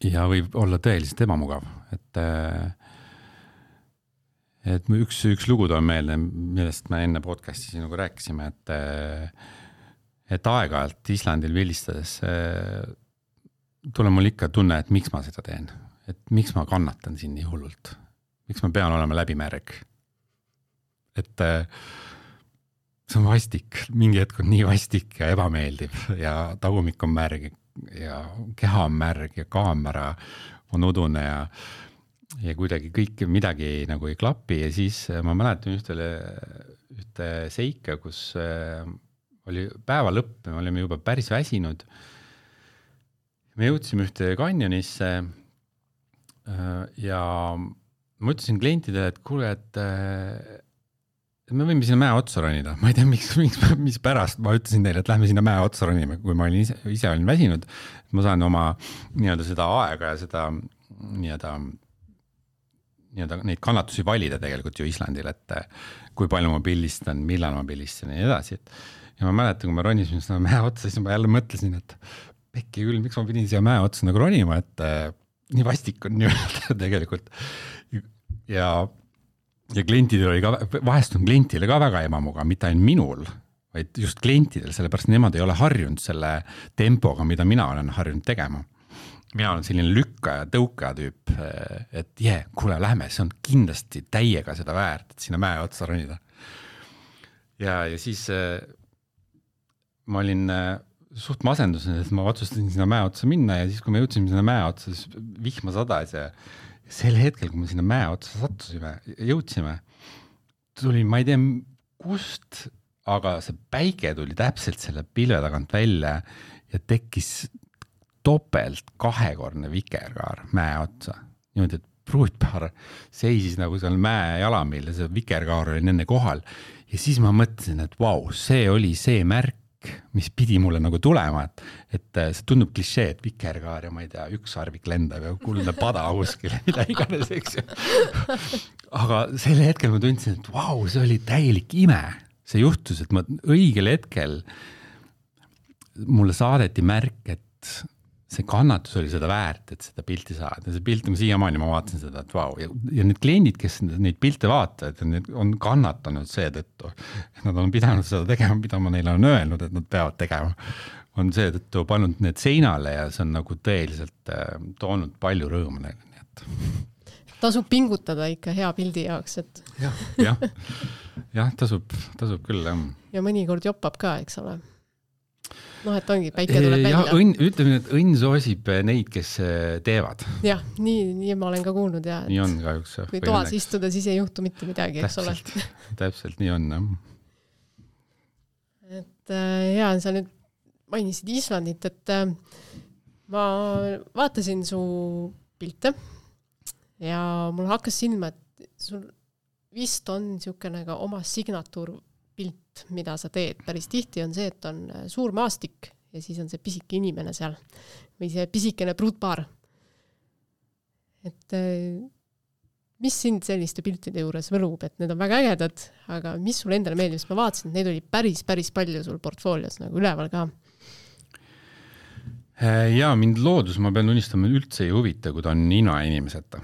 ja võib olla tõeliselt ebamugav, et, et üks, üks lugu on meelde, millest me enne podcasti sinuga rääkisime, et, et aeg-ajalt Islandil pildistades tule mul ikka tunne, et miks ma seda teen, et miks ma kannatan siin nii hullult, miks ma pean olema läbimärg, et see on vastik, mingi hetk on nii vastik ja ebameeldiv ja tagumik on märg ja keha on märg ja kaamera on udune ja, ja kuidagi kõik midagi nagu ei klapi ja siis ma mäletan ühtele, ühte seika, kus oli päeva lõpp, me olime juba päris väsinud. Me jõudsime ühte kanjonisse ja ma ütlesin klientidele, et kuule, et me võime sinna mäe otsa ronida. Ma ei tea, miks, miks, mis pärast ma ütlesin teile, et lähme sinna mäe otsa ronima, kui ma olin ise, ise olin väsinud. Ma saan oma nii-öelda seda aega ja seda nii-öelda, nii-öelda neid kannatusi valida tegelikult ju Islandil, et kui palju ma pildistan, millal ma pildistan ja nii edasi. Ja ma mäletan, kui ma ronisin seda mäe otsa, siis ma jälle mõtlesin, et pekki küll, miks ma pidin siia mäe otsa nagu ronima, et nii vastik on nii-öelda tegelikult. Ja Ja klientidel oli ka, vahest on klientidele ka väga ebamuga, mitte ainult minul, vaid just klientidel, sellepärast nemad ei ole harjunud selle tempoga, mida mina olen harjunud tegema. Mina olen selline lükka ja tõuka tüüp, et jee, kuule, lähme, see on kindlasti täiega seda väärt, et sinna mäe otsa ronida. Ja, ja siis ma olin suht masendusin, et ma otsustasin sinna mäe otsa minna ja siis, kui me jõudsime sinna mäe otsa, siis vihma sadas ja sel hetkel, kui me sinna mäe otsa sattusime, jõudsime, tuli, ma ei tea kust, aga see päike tuli täpselt selle pilve tagant välja ja tekkis topelt kahekordne vikerkaar mäe otsa. Niimoodi, et pruutpaar seisis nagu seal mäe jalamil ja see vikerkaar oli nende kohal. Ja siis ma mõtlesin, et vau, see oli see märk, mis pidi mulle nagu tulema, et, et see tundub klišee, et vikerkaar ja ma ei tea, üks sarvik lendab ja kuldne pada kuskile, mida iganes, eks ju. Aga selle hetkel ma tundsin, et vau, see oli täielik ime. See juhtus, et ma õigel hetkel mulle saadeti märk, et see kannatus oli seda väärt, et seda pilti saada. Ja see pilti, ma siiamaani ma vaatasin seda, et vau. Ja, ja need kliendid, kes neid pilte vaatavad, need on kannatanud see tõttu. Nad on pidanud seda tegema, mida ma neile on öelnud, et nad peavad tegema. On see tõttu pannud need seinale ja see on nagu tõeliselt toonud palju rõõmu neile. Nii et... Tasub pingutada ikka hea pildi jaoks, et... jah, jah, jah tasub, tasub küll. Jah. Ja mõnikord joppab ka, eks ole. noh, et ongi, päike tuleb välja. Ja õnn, ütleme, et õnn soosib neid, kes teevad. Jah, nii, nii ma olen ka kuulnud. Ja, nii on kahjuks. Kui toas õnneks. Istuda, siis ei juhtu mitte midagi, eks ole. Täpselt, nii on. Et ja, sa nüüd mainisid Islandit, et ma vaatasin su pilte ja mul hakkas silma, et sul vist on niisugune ka oma signatuur pilt, mida sa teed. Päris tihti on see, et on suur maastik ja siis on see pisike inimene seal või see pisikene pruutpaar. Et mis sind selliste piltide juures võlub, et need on väga ägedad, aga mis sul endale meeldib, sest ma vaatasin, et neid oli päris, päris palju sul portfoolios nagu üleval ka. Ja mind loodus, ma pean tunnistama, üldse ei huvita, kui ta on nina inimeseta.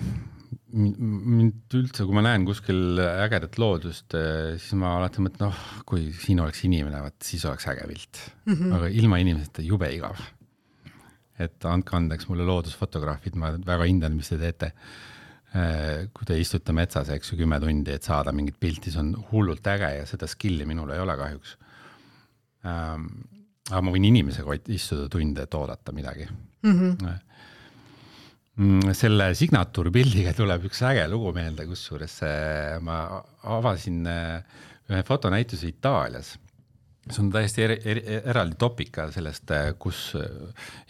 Mind üldse, kui ma näen kuskil ägedat loodust, siis ma alati mõtlen, noh, kui siin oleks inimene, vaat, siis oleks äge pilt. Mm-hmm. Aga ilma inimeseta jube igav. Et andke andeks mulle loodusfotograafid, ma väga hindan, mis te teete. Kui te istute metsas, eks ju, kümme tundi, et saada mingit pilti, see on hullult äge ja seda skilli minul ei ole kahjuks. Aga ma võin inimesega istuda tunde, et oodata midagi. Mm-hmm. Selle signatuurpildiga tuleb üks äge lugu meelde, kusjuures ma avasin ühe fotonäituse Itaalias. See on täiesti er, er, eraldi topika sellest, kus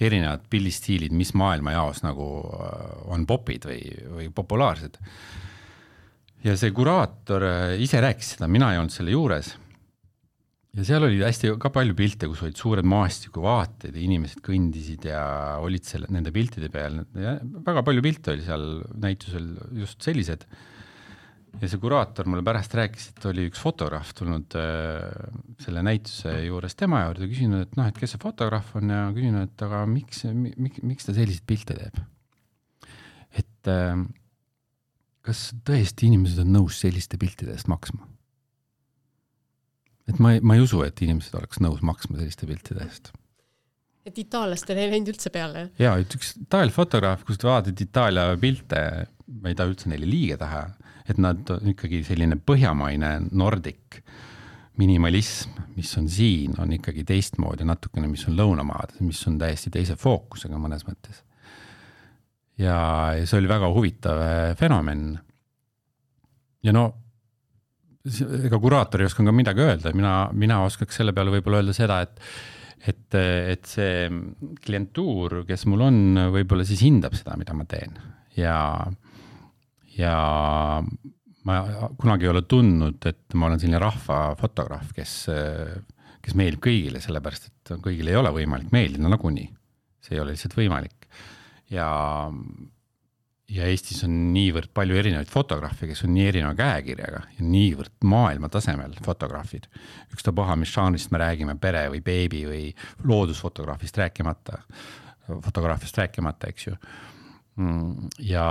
erinevad pildistiilid, mis maailma jaos nagu on popid või, või populaarsed. Ja see kuraator ise rääkis seda, mina ei olnud selle juures. Ja seal oli hästi ka palju pilte, kus olid suured maastikuvaated ja inimesed kõndisid ja olid selle, nende piltide peal. Ja väga palju pilte oli seal näitusel just sellised. Ja see kuraator mulle pärast rääkis, et oli üks fotograaf tulnud äh, selle näituse juures tema juurde ja küsinud, et noh, et kes see fotograaf on ja küsinud, et aga miks, miks, miks ta sellised pilte teeb? Et äh, kas tõesti inimesed on nõus selliste piltide eest maksma? Et ma ei, ma ei usu, et inimesed oleks nõus maksma selliste piltide eest. Et itaallastel ei läinud üldse peale? Jaa, üks Itaalia fotograaf, kus te vaatad Itaalia pilte, ma ei taha üldse neile liige taha, et nad on ikkagi selline põhjamaine nordik minimalism, mis on siin, on ikkagi teistmoodi natukene, mis on lõunamaad, mis on täiesti teise fookusega mõnes mõttes. Ja, ja see oli väga huvitav fenomen. Ja no, ega kuraatori oskan ka midagi öelda, mina, mina oskaks selle peale võib-olla öelda seda, et, et, et see klientuur, kes mul on, võib-olla siis hindab seda, mida ma teen. Ja, ja ma kunagi ei ole tundnud, et ma olen selline rahvafotograaf, kes, kes meeldib kõigile, sellepärast, et kõigile ei ole võimalik meeldida nagunii. See ei ole lihtsalt võimalik. Ja Ja Eestis on niivõrd palju erinevaid fotograafe, kes on nii erineva käekirjaga ja niivõrd maailma tasemel fotograafid. Üks ta paha, mis žanrist me räägime, pere või beebi või loodusfotograafist rääkimata, fotograafist rääkimata, eks ju. Ja,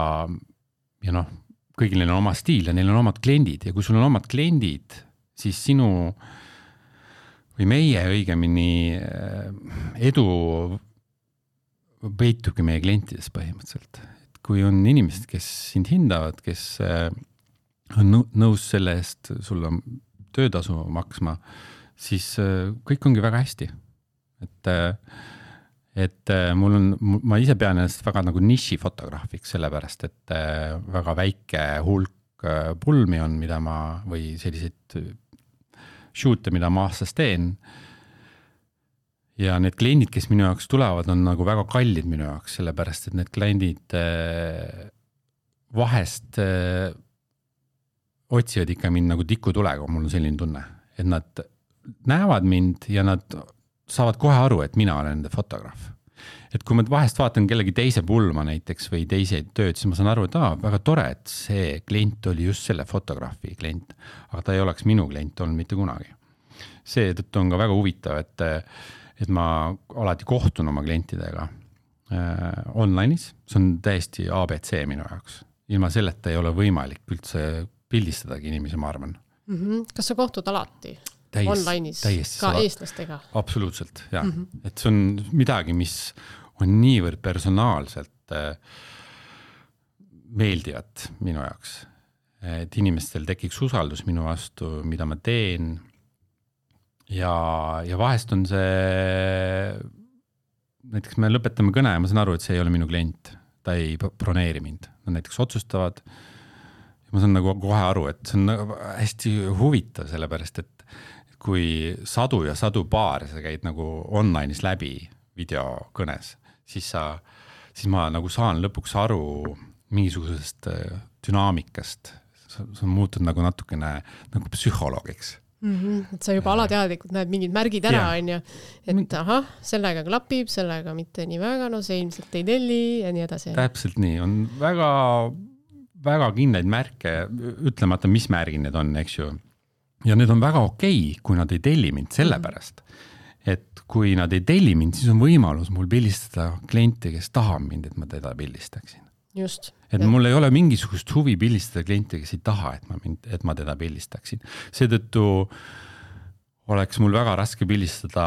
ja noh, kõigil neil on oma stiil ja neil on omad kliendid ja kui sul on omad kliendid, siis sinu või meie õigemini edu peitubki meie klientides põhimõtteliselt. Kui on inimesed, kes sind hindavad, kes on nõus selle eest sulle töötasu maksma, siis kõik ongi väga hästi. Et, et mul on, ma ise pean ennast väga nagu niši fotograafiks, sellepärast, et väga väike hulk pulmi on, mida ma, või selliseid shoot'e, mida ma aastas teen. Ja need kliendid, kes minu jaoks tulevad, on nagu väga kallid minu jaoks, sellepärast, et need kliendid vahest otsivad ikka mind nagu tikutulega, mul on selline tunne, et nad näevad mind ja nad saavad kohe aru, et mina olen nende fotograaf. Et kui ma vahest vaatan kellegi teise pulma näiteks või teise tööd, siis ma saan aru, et aa, väga tore, et see klient oli just selle fotograafi klient, aga ta ei oleks minu klient olnud mitte kunagi. See tõttu on ka väga huvitav, et et ma alati kohtun oma klientidega äh, online'is, see on täiesti A B C minu jaoks. Ilma selleta ei ole võimalik üldse pildistadagi inimesi, ma arvan. Mm-hmm. Kas sa kohtud alati Täis, online'is täiesti, ka sa... eestlastega? Absoluutselt, jah. Mm-hmm. Et see on midagi, mis on niivõrd personaalselt äh, meeldivat minu jaoks. Et inimestel tekiks usaldus minu vastu, mida ma teen. ja, ja vahest on see, näiteks me lõpetame kõne ja ma saan aru, et see ei ole minu klient, ta ei broneeri mind. Nad näiteks otsustavad ja ma saan nagu kohe aru, et see on hästi huvitav, sellepärast, et kui sadu ja sadu paare sa käid nagu online'is läbi videokõnes, siis sa, siis ma nagu saan lõpuks aru mingisugusest dünaamikast. Sa, sa muutud nagu natukene nagu psühholoogiks. Mm-hmm. Et sa juba alateadlikult näed mingid märgid ära, on ju, et ahah, sellega klapib, sellega mitte nii väga, no see ilmselt ei telli ja nii edasi. Täpselt nii, on väga, väga kindlaid märke, ütlemata, mis märgid need on, eks ju. Ja need on väga okei, kui nad ei telli mind sellepärast, et kui nad ei telli mind, siis on võimalus mul pildistada klienti, kes tahab mind, et ma teda pildistaksin. Just. Et ja. Mul ei ole mingisugust huvi pildistada klienti, kes ei taha, et ma, mind, et ma teda pildistaksin. Seetõttu oleks mul väga raske pildistada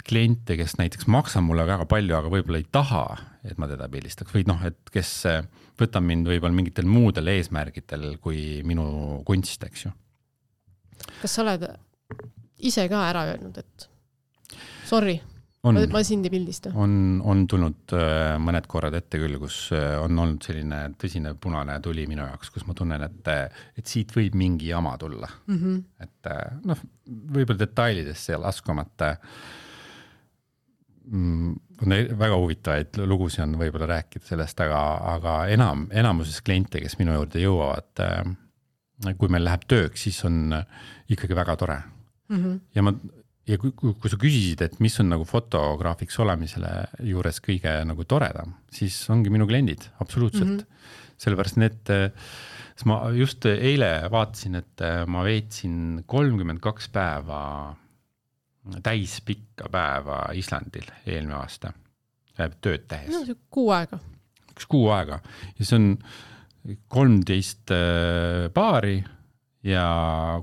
kliente, kes näiteks maksa mulle väga palju, aga võib-olla ei taha, et ma teda pildistaks. Või noh, et kes võtab mind võib-olla mingitel muudel eesmärgitel kui minu kunst, eks ju. Kas sa oled ise ka ära öelnud, et sorry, on, ma sind ei pildista? On, on tulnud mõned korrad ette küll, kus on olnud selline tõsine punane tuli minu jaoks, kus ma tunnen, et, et siit võib mingi jama tulla. Mm-hmm. Et noh, võib-olla detailidesse laskumata on väga huvitavaid lugusid on võib-olla rääkida sellest, aga, aga enam, enamuses kliente, kes minu juurde jõuavad, kui meil läheb tööks, siis on ikkagi väga tore. Mm-hmm. Ja ma Ja kui, kui, kui sa küsisid, et mis on nagu fotograafiks olemisele juures kõige nagu toredam, siis ongi minu kliendid, absoluutselt. Mm-hmm. Sellepärast need, ma just eile vaatasin, et ma veetsin kolmkümmend kaks päeva, täis pikka päeva Islandil eelmine aasta, tööd tehes. No, see kuu aega. Üks kuu aega. Ja see on kolmteist paari, ja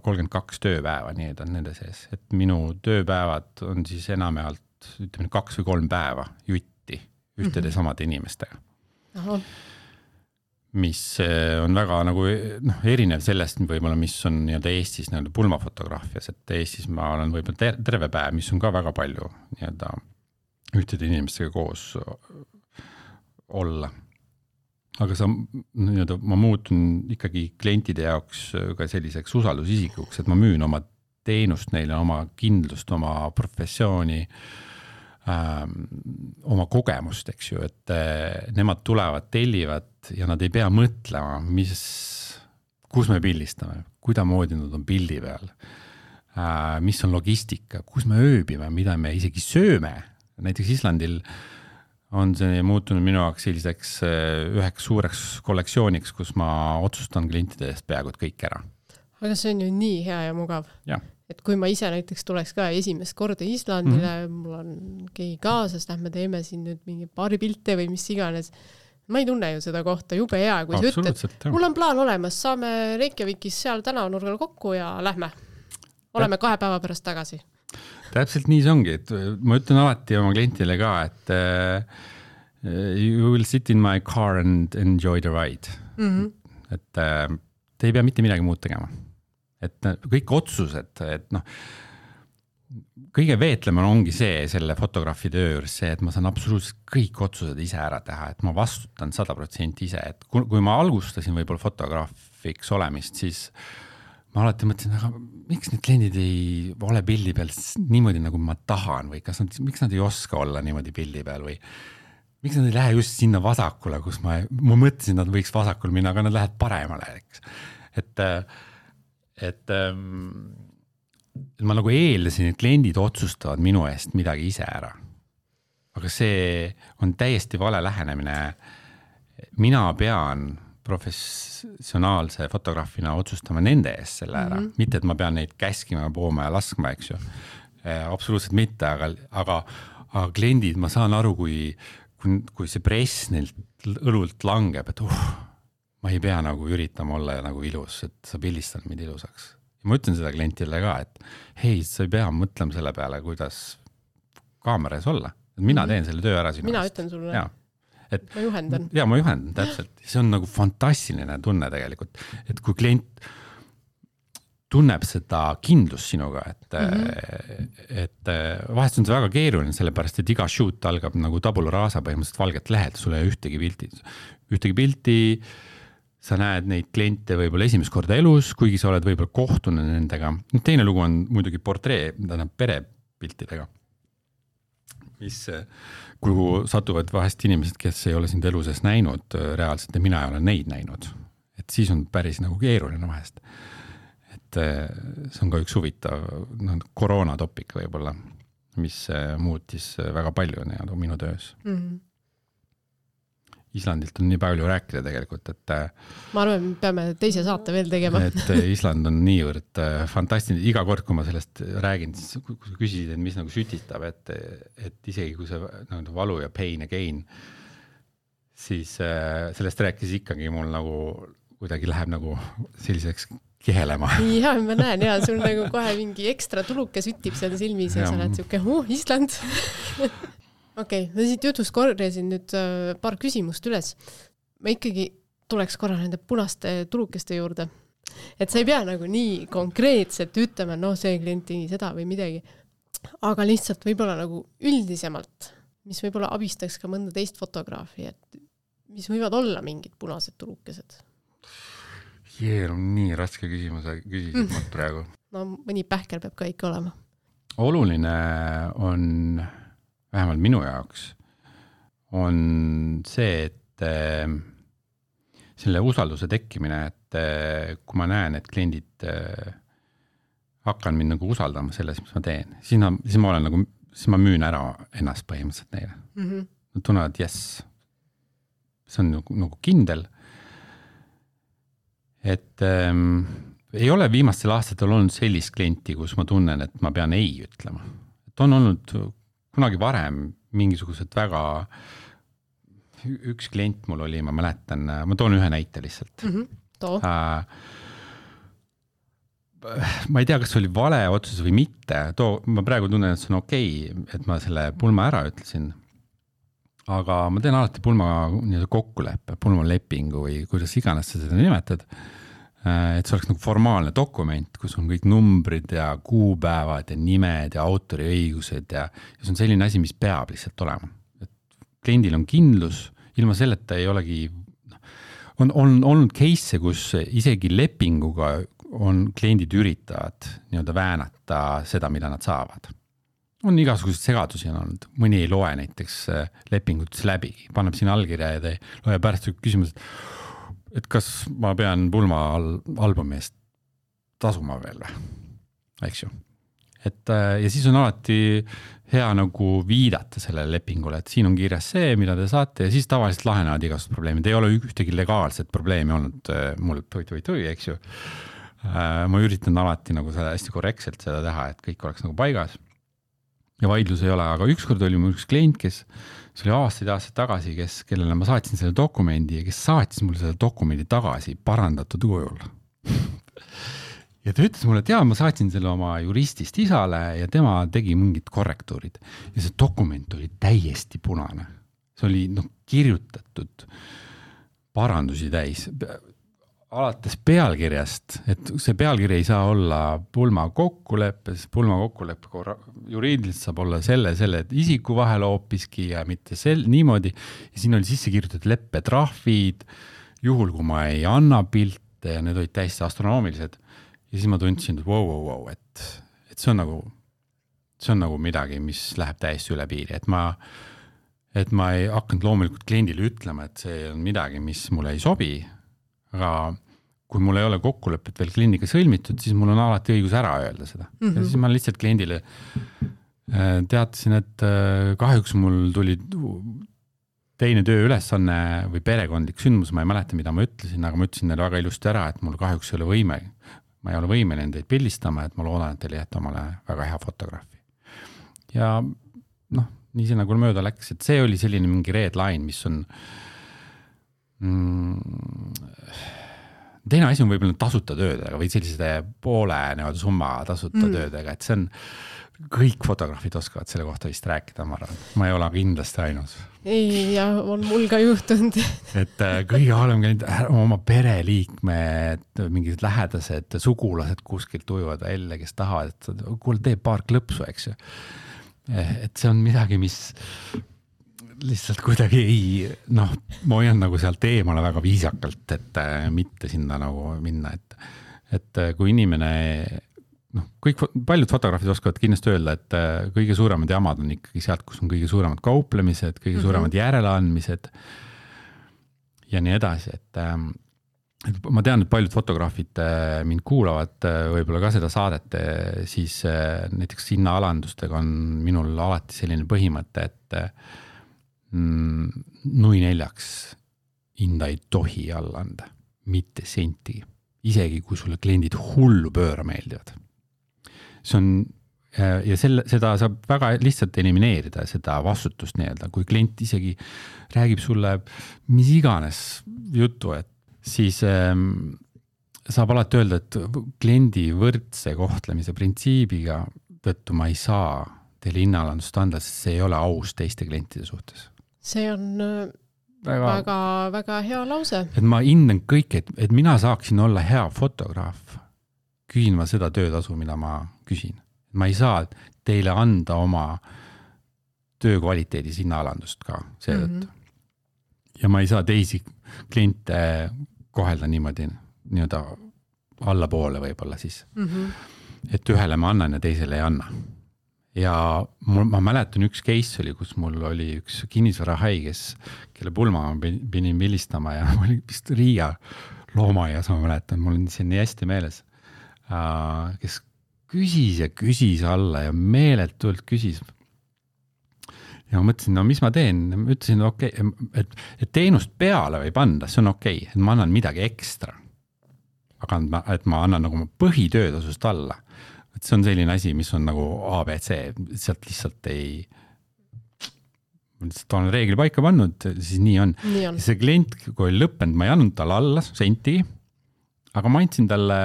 kolmkümmend kaks tööpäeva, nii et on nende sees. Et minu tööpäevad on siis enamjaolt ütleme, kaks või kolm päeva jutti ühtede mm-hmm. samade inimestega. Aha. Mis on väga nagu, noh, erinev sellest võib-olla, mis on nii-öelda Eestis nii-öelda pulmafotograafias, et Eestis ma olen võib-olla ter- terve päev, mis on ka väga palju nii-öelda ühtede inimestega koos olla. Aga sa, nii-öelda, ma muutun ikkagi klientide jaoks ka selliseks usaldusisikuks, et ma müün oma teenust neile, oma kindlust, oma professiooni, ähm, oma kogemust, eks ju, et äh, nemad tulevad, tellivad ja nad ei pea mõtlema, mis, kus me pildistame, kudamoodi nad on pildi peal, äh, mis on logistika, kus me ööbime, mida me isegi sööme. Näiteks Islandil on see muutunud minu jaoks selliseks üheks suureks kollektsiooniks, kus ma otsustan klientide eest peaaegu kõik ära. Aga see on ju nii hea ja mugav. Ja. Et kui ma ise näiteks tuleks ka esimest korda Islandile, mm-hmm. mul on keegi kaasas, lähme teeme siin nüüd mingi paari pilte või mis iganes. Ma ei tunne ju seda kohta jube hea, kui sa ütled, mul on plaan olemas, saame Reykjavikis seal tänavanurgal kokku ja lähme. Oleme kahe päeva pärast tagasi. Täpselt nii see ongi, et ma ütlen alati oma klientile ka, et uh, you will sit in my car and enjoy the ride. Mm-hmm. Et uh, te ei pea mitte midagi muud tegema. Et kõik otsused, et noh, kõige veetlema ongi see selle fotograafi töö juures see, et ma saan absoluutselt kõik otsused ise ära teha, et ma vastutan sada protsenti ise, et kui, kui ma alustasin võib-olla fotograafiks olemist, siis ma alati mõtlesin, aga miks need kliendid ei ole pildi peal niimoodi, nagu ma tahan või kas nad, miks nad ei oska olla niimoodi pildi peal või miks nad ei lähe just sinna vasakule, kus ma, ma mõtlesin, nad võiks vasakul minna, aga nad lähevad paremale. Eks. Et, et, et ma nagu eeldasin, et kliendid otsustavad minu eest midagi ise ära. Aga see on täiesti vale lähenemine. Mina pean professionaalse fotograafina otsustama nende eest selle ära. Mm-hmm. Mitte, et ma pean neid käskima, pooma ja laskma, eks ju. E, absoluutselt mitte, aga, aga, aga kliendid, ma saan aru, kui, kui, kui see press neilt õlult langeb, et uh, ma ei pea nagu üritama olla nagu ilus, et sa pildistad mind ilusaks. Ja ma ütlen seda klientile ka, et hei, sa ei pea mõtlema selle peale, kuidas kaameras olla. Mina mm-hmm. teen selle töö ära sinu. Mina ütlen sulle. Jaa. Et, ma juhendan. Ja, ma juhendan, täpselt. See on nagu fantastiline tunne tegelikult. Et kui klient, tunneb seda kindlust sinuga, et mm-hmm. et vahest on see väga keeruline, sellepärast, et iga shoot algab nagu tabula rasa põhimõtteliselt valget lehelt, sul ei ole ühtegi pilti, ühtegi pilti, sa näed neid kliente võib-olla esimest korda elus, kuigi sa oled võib-olla kohtunud nendega. Teine lugu on muidugi portree, tähendab perepiltidega, mis, kuhu satuvad vahest inimesed, kes ei ole sind elu sees näinud reaalselt ja mina ei ole neid näinud. Et siis on päris nagu keeruline vahest. Et see on ka üks huvitav no, koroonatopik võib-olla, mis muutis väga palju nii, minu töös. Mm-hmm. Islandilt on nii palju rääkida tegelikult, et ma arvan, me peame teise saate veel tegema. Et Island on niivõrd fantastiline. Iga kord, kui ma sellest räägin, siis kui sa küsisid, et mis nagu sütitab, et, et isegi kui see nagu valu ja pain ja gain, siis sellest rääkis ikkagi mul nagu kuidagi läheb nagu selliseks kehelema. Ja, ma näen, ja sul nagu kohe mingi ekstra tuluke sütib seal silmis ja, ja sa oled siuke, uh, Island. Okei, okay, ma siit jutust korjasin nüüd paar küsimust üles. Ma ikkagi tuleks korra nende punaste tulukeste juurde. Et sa ei pea nagu nii konkreetselt ütlema, no see klient tegi seda või midagi. Aga lihtsalt võib-olla nagu üldisemalt, mis võib-olla abistaks ka mõnda teist fotograafi, et mis võivad olla mingid punased tulukesed? Jee, on nii raske küsimuse küsisid mm. praegu. No mõni pähkel peab ka ikka olema. Oluline on, vähemalt minu jaoks, on see, et äh, selle usalduse tekkimine, et äh, kui ma näen, et kliendid äh, hakkan mind nagu usaldama selles, mis ma teen, siis ma, siis ma olen nagu, siis ma müün ära ennast põhimõtteliselt neile. Mm-hmm. Nad tunnevad, yes, see on nagu, nagu kindel. Et ähm, ei ole viimastel aastatel olnud sellist klienti, kus ma tunnen, et ma pean ei ütlema. Et on olnud kunagi varem mingisugused väga, üks klient mul oli, ma mäletan, ma toon ühe näite lihtsalt. Mm-hmm. Too. Äh, ma ei tea, kas see oli vale otsus või mitte. Too, ma praegu tunnen, et see on okei, et ma selle pulma ära ütlesin. Aga ma teen alati pulma kokkuleppe, pulma lepingu või kuidas iganes sa seda nimetad, et see oleks nagu formaalne dokument, kus on kõik numbrid ja kuupäevad ja nimed ja autoriõigused ja, ja see on selline asi, mis peab lihtsalt olema. Et kliendil on kindlus, ilma selleta ei olegi, on, on olnud case, kus isegi lepinguga on kliendid üritavad nii-öelda väänata seda, mida nad saavad. On igasugused segadusi on olnud. Mõni ei loe näiteks lepingutis läbi, paneb siin allkirja ja te loe pärast küsimus, et kas ma pean pulma albumi eest tasuma veel või? Eks ju. Et, ja siis on alati hea nagu viidata sellele lepingule, et siin on kirjas see, mida te saate ja siis tavaliselt lahenevad igasugused probleemid. Ei ole ühtegi legaalset probleemi olnud mul või-või-või, eks ju. Ma üritan alati nagu seda hästi korrektselt seda teha, et kõik oleks nagu paigas. Ja vaidlus ei ole, aga ükskord oli mul üks klient, kes see oli aastaid aastaid tagasi, kes, kellele ma saatsin selle dokumendi ja kes saatis mulle selle dokumendi tagasi parandatud kujul. Ja ta ütles mulle, et jaa, ma saatsin selle oma juristist isale ja tema tegi mingid korrektuurid. Ja see dokument oli täiesti punane. See oli no, kirjutatud parandusi täis. Alates pealkirjast, et see pealkiri ei saa olla pulma kokkuleppe, sest pulma kokkuleppe juriidiliselt saab olla selle, selle isiku vahel hoopiski ja mitte sel, niimoodi. Ja siin oli sisse kirjutatud leppetrahvid, juhul kui ma ei anna pilte ja need olid täiesti astronoomilised. Ja siis ma tundsin, et wow, wow, wow, et, et see on nagu, see on nagu midagi, mis läheb täiesti üle piiri, et ma, et ma ei hakanud loomulikult kliendile ütlema, et see on midagi, mis mulle ei sobi. Aga kui mul ei ole kokkulepet veel kliendiga sõlmitud, siis mul on alati õigus ära öelda seda. Mm-hmm. Ja siis ma lihtsalt kliendile teatasin, et kahjuks mul tuli teine töö ülesanne või perekondlik sündmus, ma ei mäleta, mida ma ütlesin, aga ma ütlesin neile väga ilusti ära, et mul kahjuks ei ole võime, ma ei ole võime nendeid pildistama, et ma loodan, et teile jätta omale väga hea fotograafi. Ja noh, nii see nagu mööda läks, et see oli selline mingi red line, mis on teine asi on võib-olla tasuta töödega või sellise poole nevad summa tasuta mm. töödega, et see on kõik fotograafid oskavad selle kohta vist rääkida, ma arvan. Ma ei ole kindlasti ainus. ei, ja on mul ka juhtunud. et kõige halvem käinud oma pereliikmed, mingid lähedased sugulased kuskilt ujuvad välja, kes tahavad, et kuule, tee paar klõpsu, eks ju. Et see on midagi, mis lihtsalt kuidagi ei, noh, ma hoian nagu sealt eemale väga viisakalt, et mitte sinna nagu minna, et, et kui inimene, noh, kõik, paljud fotograafid oskavad kindlasti öelda, et kõige suuremad jamad on ikkagi sealt, kus on kõige suuremad kauplemised, kõige suuremad mm-hmm. järeleandmised ja nii edasi, et, et ma tean, et paljud fotograafid mind kuulavad võib-olla ka seda saadet, siis näiteks hinnaalandustega on minul alati selline põhimõte, et nui neljaks hinda ei tohi alla anda, mitte senti, isegi kui sulle kliendid hullu pööra meeldivad. See on, ja selle, seda saab väga lihtsalt elimineerida, seda vastutust nii-öelda, kui klient isegi räägib sulle mis iganes jutu, et siis ähm, saab alati öelda, et kliendi võrdse kohtlemise printsiibiga tõttu ma ei saa teile hinnaalandust anda, sest see ei ole aus teiste klientide suhtes. See on väga, väga, väga hea lause. Et ma hindan kõik, et, et mina saaksin olla hea fotograaf, küsin ma seda töötasu, mida ma küsin. Ma ei saa teile anda oma töö kvaliteedis hinnaalandust ka seetõttu. Mm-hmm. Ja ma ei saa teisi kliente kohelda niimoodi nii-öelda allapoole võib-olla siis. Mm-hmm. Et ühele ma annan ja teisele ei anna. Ja mul, ma mäletan üks case oli, kus mul oli üks kinnisvarahai, kes, kelle pulma ma pidin vilistama ja ma olin vist Riia loomaaias, ma mäletan, mul on see nii hästi meeles, kes küsis ja küsis alla ja meeletult küsis. Ja ma mõtlesin, no mis ma teen? Ma ütlesin, okei, et, et teenust peale võib anda, see on okei, et ma annan midagi ekstra. Aga et ma annan nagu põhitöötasust alla. Et see on selline asi, mis on nagu A B C, sealt lihtsalt ei, lihtsalt olen reegli paika pannud, siis nii on. Nii on. See klient, kui oli lõppenud, ma ei andnud talle alla senti, aga ma andsin talle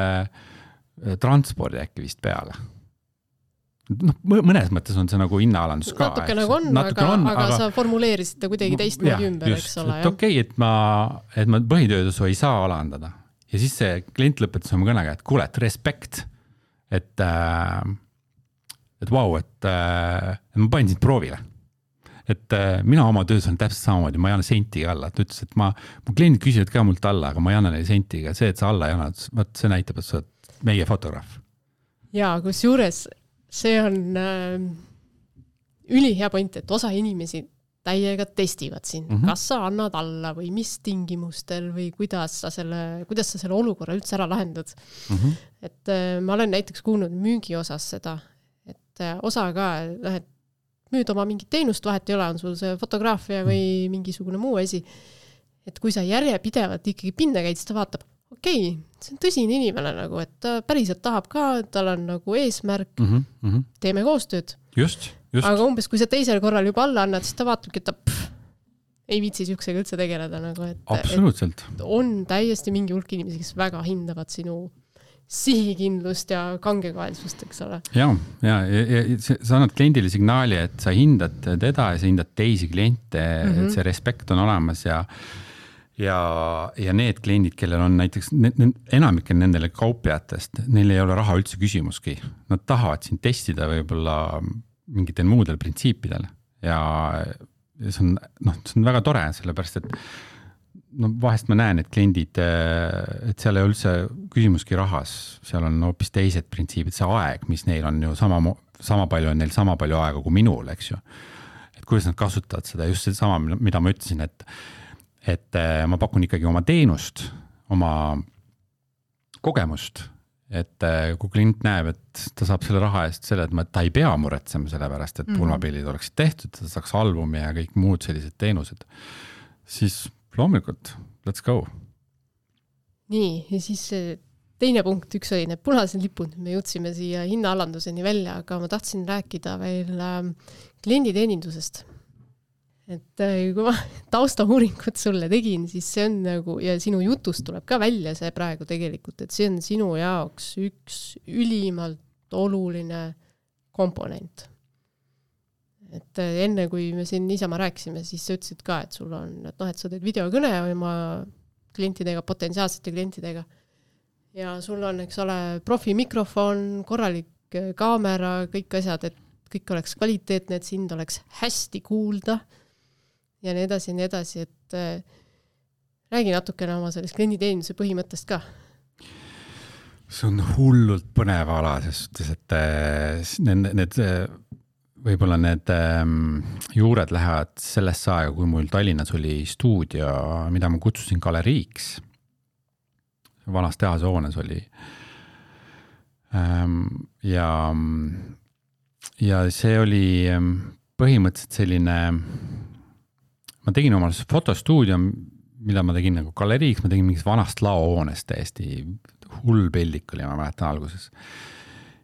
transpordi äkki vist peale. No, mõnes mõttes on see nagu hinnaalandus ka. Natuke nagu on, aga, on aga, aga sa formuleerisid ta kuidagi teist moodi ümber, just, eks ole. Et okei, okay, et ma, et ma põhitöötasu ei saa alandada. Ja siis see klient lõpetas oma kõnega, et kuule, et respekt, et, et vau, wow, et, et ma panin sind proovile. Et mina oma töös on täpselt samamoodi, ma ei anna sentiga alla. Ta ütles, et ma, mu kliendid küsivad ka mult alla, aga ma ei anna neile sentiga. See, et sa alla ei anna, see näitab, et sa oled meie fotograaf. Ja, kus juures see on äh, ülihea point, et osa inimesi täiega testivad siin, mm-hmm. kas sa annad alla või mis tingimustel või kuidas sa selle, kuidas sa selle olukorra üldse ära lahendad. Mm-hmm. Et äh, ma olen näiteks kuulnud müügi osas seda, et äh, osa ka, et müüd oma mingit teenust, vahet ei ole, on sul see fotograafia või mingisugune muu asi. Et kui sa järjepidevalt ikkagi pinda käid, siis ta vaatab, okei, okay, see on tõsine inimene, nagu, et ta päriselt tahab ka, tal on nagu eesmärk, mm-hmm, mm-hmm. teeme koostööd. Just, just. Aga umbes, kui sa teisel korral juba alla annad, siis ta vaatabki, et ta pff, ei viitsi siuksega üldse tegeleda. Nagu, et, absoluutselt. Et on täiesti mingi hulk inimesi, kes väga hindavad sinu sihikindlust ja kangekaelsust, eks ole. Ja, ja, ja, ja sa annad kliendile signaali, et sa hindad teda ja sa hindad teisi kliente, mm-hmm. et see respekt on olemas ja Ja, ja need kliendid, kellel on näiteks, enamikel nendele kauplejatest, neil ei ole raha üldse küsimuski. Nad tahavad siin testida võib-olla mingitel muudel printsiipidel ja see on, noh, see on väga tore, sellepärast, et no, vahest ma näen, et kliendid, et seal ei üldse küsimuski rahas, seal on hoopis teised printsiibid, see aeg, mis neil on ju sama, sama palju on neil sama palju aega kui minul, eks ju. Et kuidas nad kasutavad seda, just see sama, mida ma ütlesin, et et ma pakun ikkagi oma teenust, oma kogemust, et kui klient näeb, et ta saab selle raha eest selle, et ta ei pea muretsema selle pärast, et pulmapildid oleksid tehtud, ta saaks albumi ja kõik muud sellised teenused, siis loomulikult, let's go. Nii, ja siis teine punkt, üks oli need punased lipud, me jõudsime siia hinnaalanduseni välja, aga ma tahtsin rääkida veel klienditeenindusest. Et kui ma taustauuringut sulle tegin, siis see on nagu, ja sinu jutust tuleb ka välja see praegu tegelikult, et see on sinu jaoks üks ülimalt oluline komponent. et enne, kui me siin niisama rääkisime, siis sa ütlesid ka, et sul on, et noh, et sa teed videokõne oma klientidega, potentsiaalsete klientidega ja sul on, eks ole, profi mikrofon, korralik kaamera, kõik asjad, et kõik oleks kvaliteetne, et sind oleks hästi kuulda ja nii edasi ja nii edasi, et räägi natukene oma sellest klienditeenuse põhimõttest ka. See on hullult põnev ala, sest et need, need, võib-olla need juured lähevad sellesse aega, kui mul Tallinnas oli stuudio, mida ma kutsusin galeriiks. Vanas tehase hoones oli. Ja, ja see oli põhimõtteliselt selline, ma tegin omal fotostuudio, mida ma tegin nagu galeriiks, ma tegin mingis vanast laohoonest täiesti hull pildik oli, ma mäletan alguses.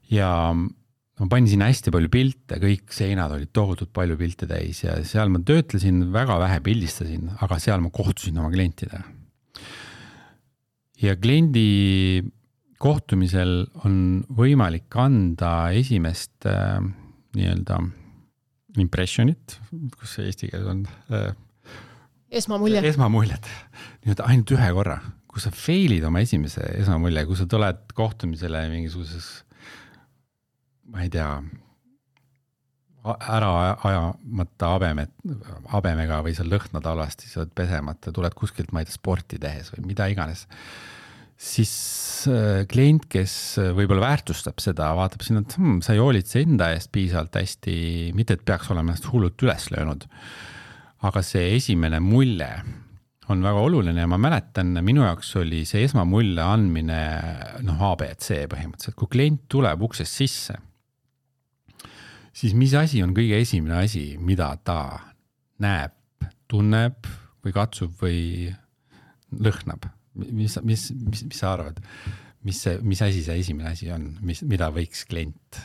Ja ma panin sinna hästi palju pilte, kõik seinad olid tohutult palju pilte täis ja seal ma töötlesin, väga vähe pildistasin, aga seal ma kohtusin oma klientidega. Ja kliendi kohtumisel on võimalik anda esimest äh, nii-öelda impressionit, kus see eesti keeles on äh, esmamulje. Esmamuljet. Nii-öelda ainult ühe korra. Kui sa failid oma esimese esmamulje, kui sa tuled kohtumisele mingisuguses, ma ei tea, ära ajamata abemet, abemega või sa lõhnad alasti, sa oled pesemata, tuled kuskilt, ma ei tea, sporti tehes või mida iganes, siis klient, kes võib-olla väärtustab seda, vaatab sinna, et hmm, sa ei hoolitse enda eest piisavalt hästi, mitte et peaks olema ennast hullult üles löönud. Aga see esimene mulje on väga oluline ja ma mäletan, minu jaoks oli see esmamulje andmine noh, A B C põhimõtteliselt. Kui klient tuleb uksest sisse, siis mis asi on kõige esimene asi, mida ta näeb, tunneb või katsub või lõhnab? Mis, mis, mis, mis sa arvad? Mis, see, mis asi see esimene asi on, mis, mida võiks klient?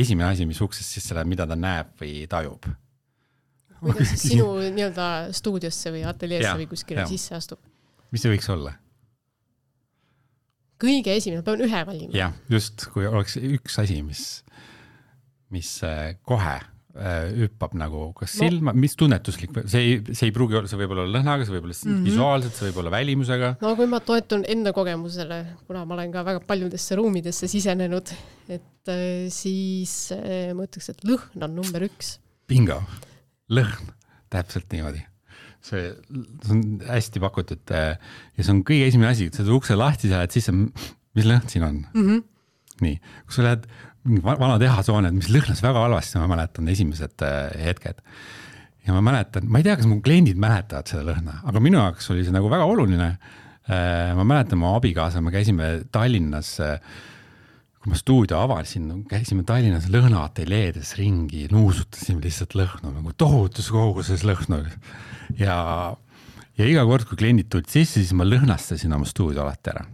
Esimene asi, mis uksest sisse läheb, mida ta näeb või tajub? Kuidas siis sinu nii-öelda stuudiosse või ateljeesse ja, või kuskile ja. Sisse astub? Mis see võiks olla? Kõige esimene, pean ühe valima. Jah, just, kui oleks üks asi, mis, mis kohe hüppab nagu, kas no. Silma, mis tunnetuslik, see ei, see ei pruugi olla, see võib olla lõhnaga, see võib olla mm-hmm. visuaalselt, see võib olla välimusega. No kui ma toetun enda kogemusele, kuna ma olen ka väga paljudesse ruumidesse sisenenud, et siis ma ütleks, et lõhn on number üks. Bingo. Lõhn, täpselt niimoodi. See, see on hästi pakutud ja see on kõige esimene asi, et sa ukse lahti sa lähed sisse, mis lõhn siin on? Mm-hmm. Nii, kui sa lähed vana tehasoone, mis lõhnas väga halvasti, ma mäletan esimesed hetked. Ja ma mäletan, ma ei tea, kas mu kliendid mäletavad seda lõhna, aga minu jaoks oli see nagu väga oluline. Ma mäletan, ma abikaasa, me käisime Tallinnas, kui ma stuudio avalisin, käisime Tallinnas lõhnaateljeedes ringi, nuusutasime lihtsalt lõhnu, nagu tohutus koguses lõhnu. Ja, ja iga kord, kui kliendid tulid sisse, siis ma lõhnastasin oma stuudio alati ära.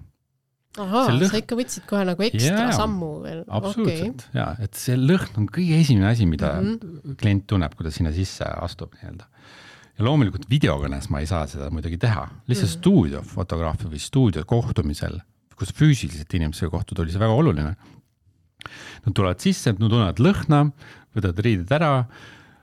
Ahaa, lõhn... sa ikka võtsid kohe nagu ekstra ja, sammu veel. Absoluutselt, okay. Ja, et see lõhn on kõige esimene asi, mida mm-hmm. klient tunneb, kui ta sinna sisse astub. Nii-öelda. Ja loomulikult videokõnes ma ei saa seda muidugi teha. Lihtsalt mm-hmm. stuudio fotograafi või stuudio kohtumisel, kus füüsiliselt inimesega kohtud, oli see väga oluline. Nad tulevad sisse, nad tunnevad lõhna, võtavad riided ära,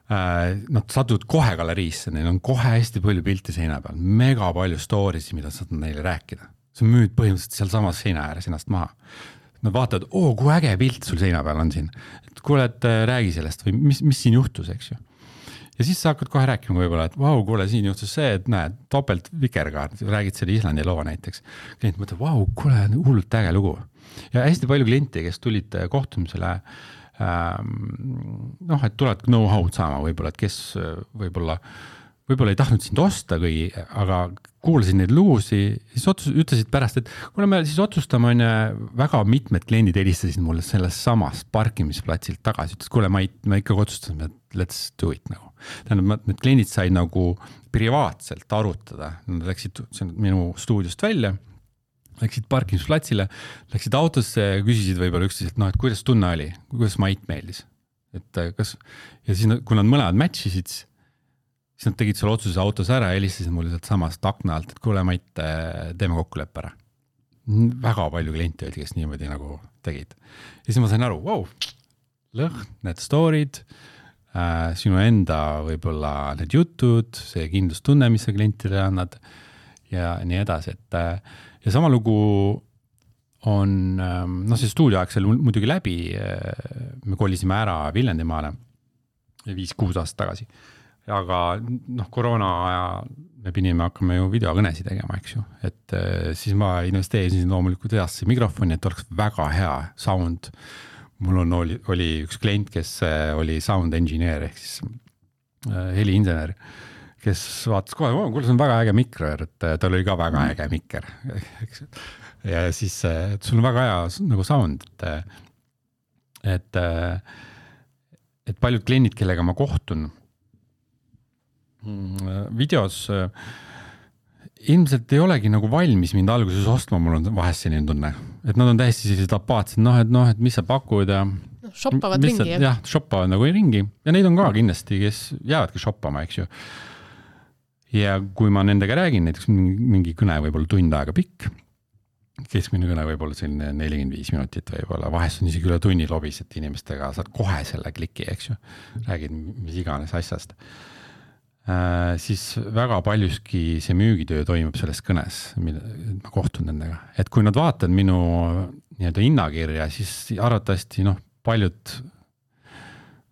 nad satuvad kohe galeriisse, neil on kohe hästi palju pilti seina peal, mega palju stories, mida saad neile rääkida. See müüd põhimõtteliselt seal samas seina ääres ennast maha. Nad vaatavad, oo, kui äge pilt sul seina peal on siin. Et kuule, et räägi sellest või mis, mis siin juhtus, eks ju. Ja siis sa hakkad kohe rääkima võib-olla, et vau, kuule, siin juhtus see, et näed, topelt vikerkaart, räägid selle Islandi loo näiteks. Klient mõtleb, vau, kuule, hullult äge lugu. Ja hästi palju kliente, kes tulid kohtumisele, ähm, noh, et tulevad know-how'd saama võib-olla, et kes võib-olla võib-olla ei tahtnud sind osta, kui, aga kuulasin neid lugusi, siis otsus, ütlesid pärast, et kuna me siis otsustame, on väga mitmed kliendid helistasid mulle sellest samast parkimisplatsilt tagasi, ütles, kuule, ma, ei, ma ikka otsustasime, et let's do it nagu. Tähendab, need kliendid said nagu privaatselt arutada, nad läksid minu stuudiost välja, läksid parkimisplatsile, läksid autosse ja küsisid võib-olla üksteist, et noh, et kuidas tunne oli, kuidas Mait meeldis. Et kas, ja siis, kui nad mõlemad matchisid, siis nad tegid selle otsuse autos ära ja helistasid mulle sealt samast akna alt, et kuule, Mait, teeme kokkuleppe ära. Väga palju kliente oli, kes niimoodi nagu tegid. Ja siis ma sain aru, wow, lõhn, need story'd, äh, sinu enda võib-olla need jutud, see kindlustunne, mis sa klientile annad ja nii edasi, et ja sama lugu on, noh, see stuudioaeg seal muidugi läbi, me kolisime ära Viljandimaale viis-kuus aastat tagasi, aga noh, koroona aja me pidime hakkama ju videokõnesi tegema, eks ju, et siis ma investeerisin loomulikult heasse mikrofoni, et oleks väga hea sound. Mul on, oli, oli üks klient, kes oli sound engineer ehk siis heliinsener, kes vaatas kohe, oh, kuule, see on väga äge mikker, et tal oli ka väga äge mikker. Ja siis et sul on väga hea nagu sound, et, et, et paljud kliendid, kellega ma kohtun videos, ilmselt ei olegi nagu valmis mind alguses ostma, mul on vahest selline tunne, et nad on täiesti sellised apaatsed, noh, et noh, et mis sa pakud ja shoppavad ringi, jah? jah, shoppavad nagu ringi ja neid on ka kindlasti, kes jäävadki shoppama, eks ju. Ja kui ma nendega räägin, näiteks mingi kõne võib-olla tund aega pikk, keskmine kõne võib-olla selline nelikümmend viis minutit võib-olla, vahest on isegi üle tunni lobis, et inimestega saad kohe selle kliki, eks ju, räägid mis iganes asjast. Äh, siis väga paljuski see müügitöö toimub selles kõnes, mille ma kohtun nendega. Et kui nad vaatavad minu nii-öelda hinnakirja, siis arvatavasti noh, paljud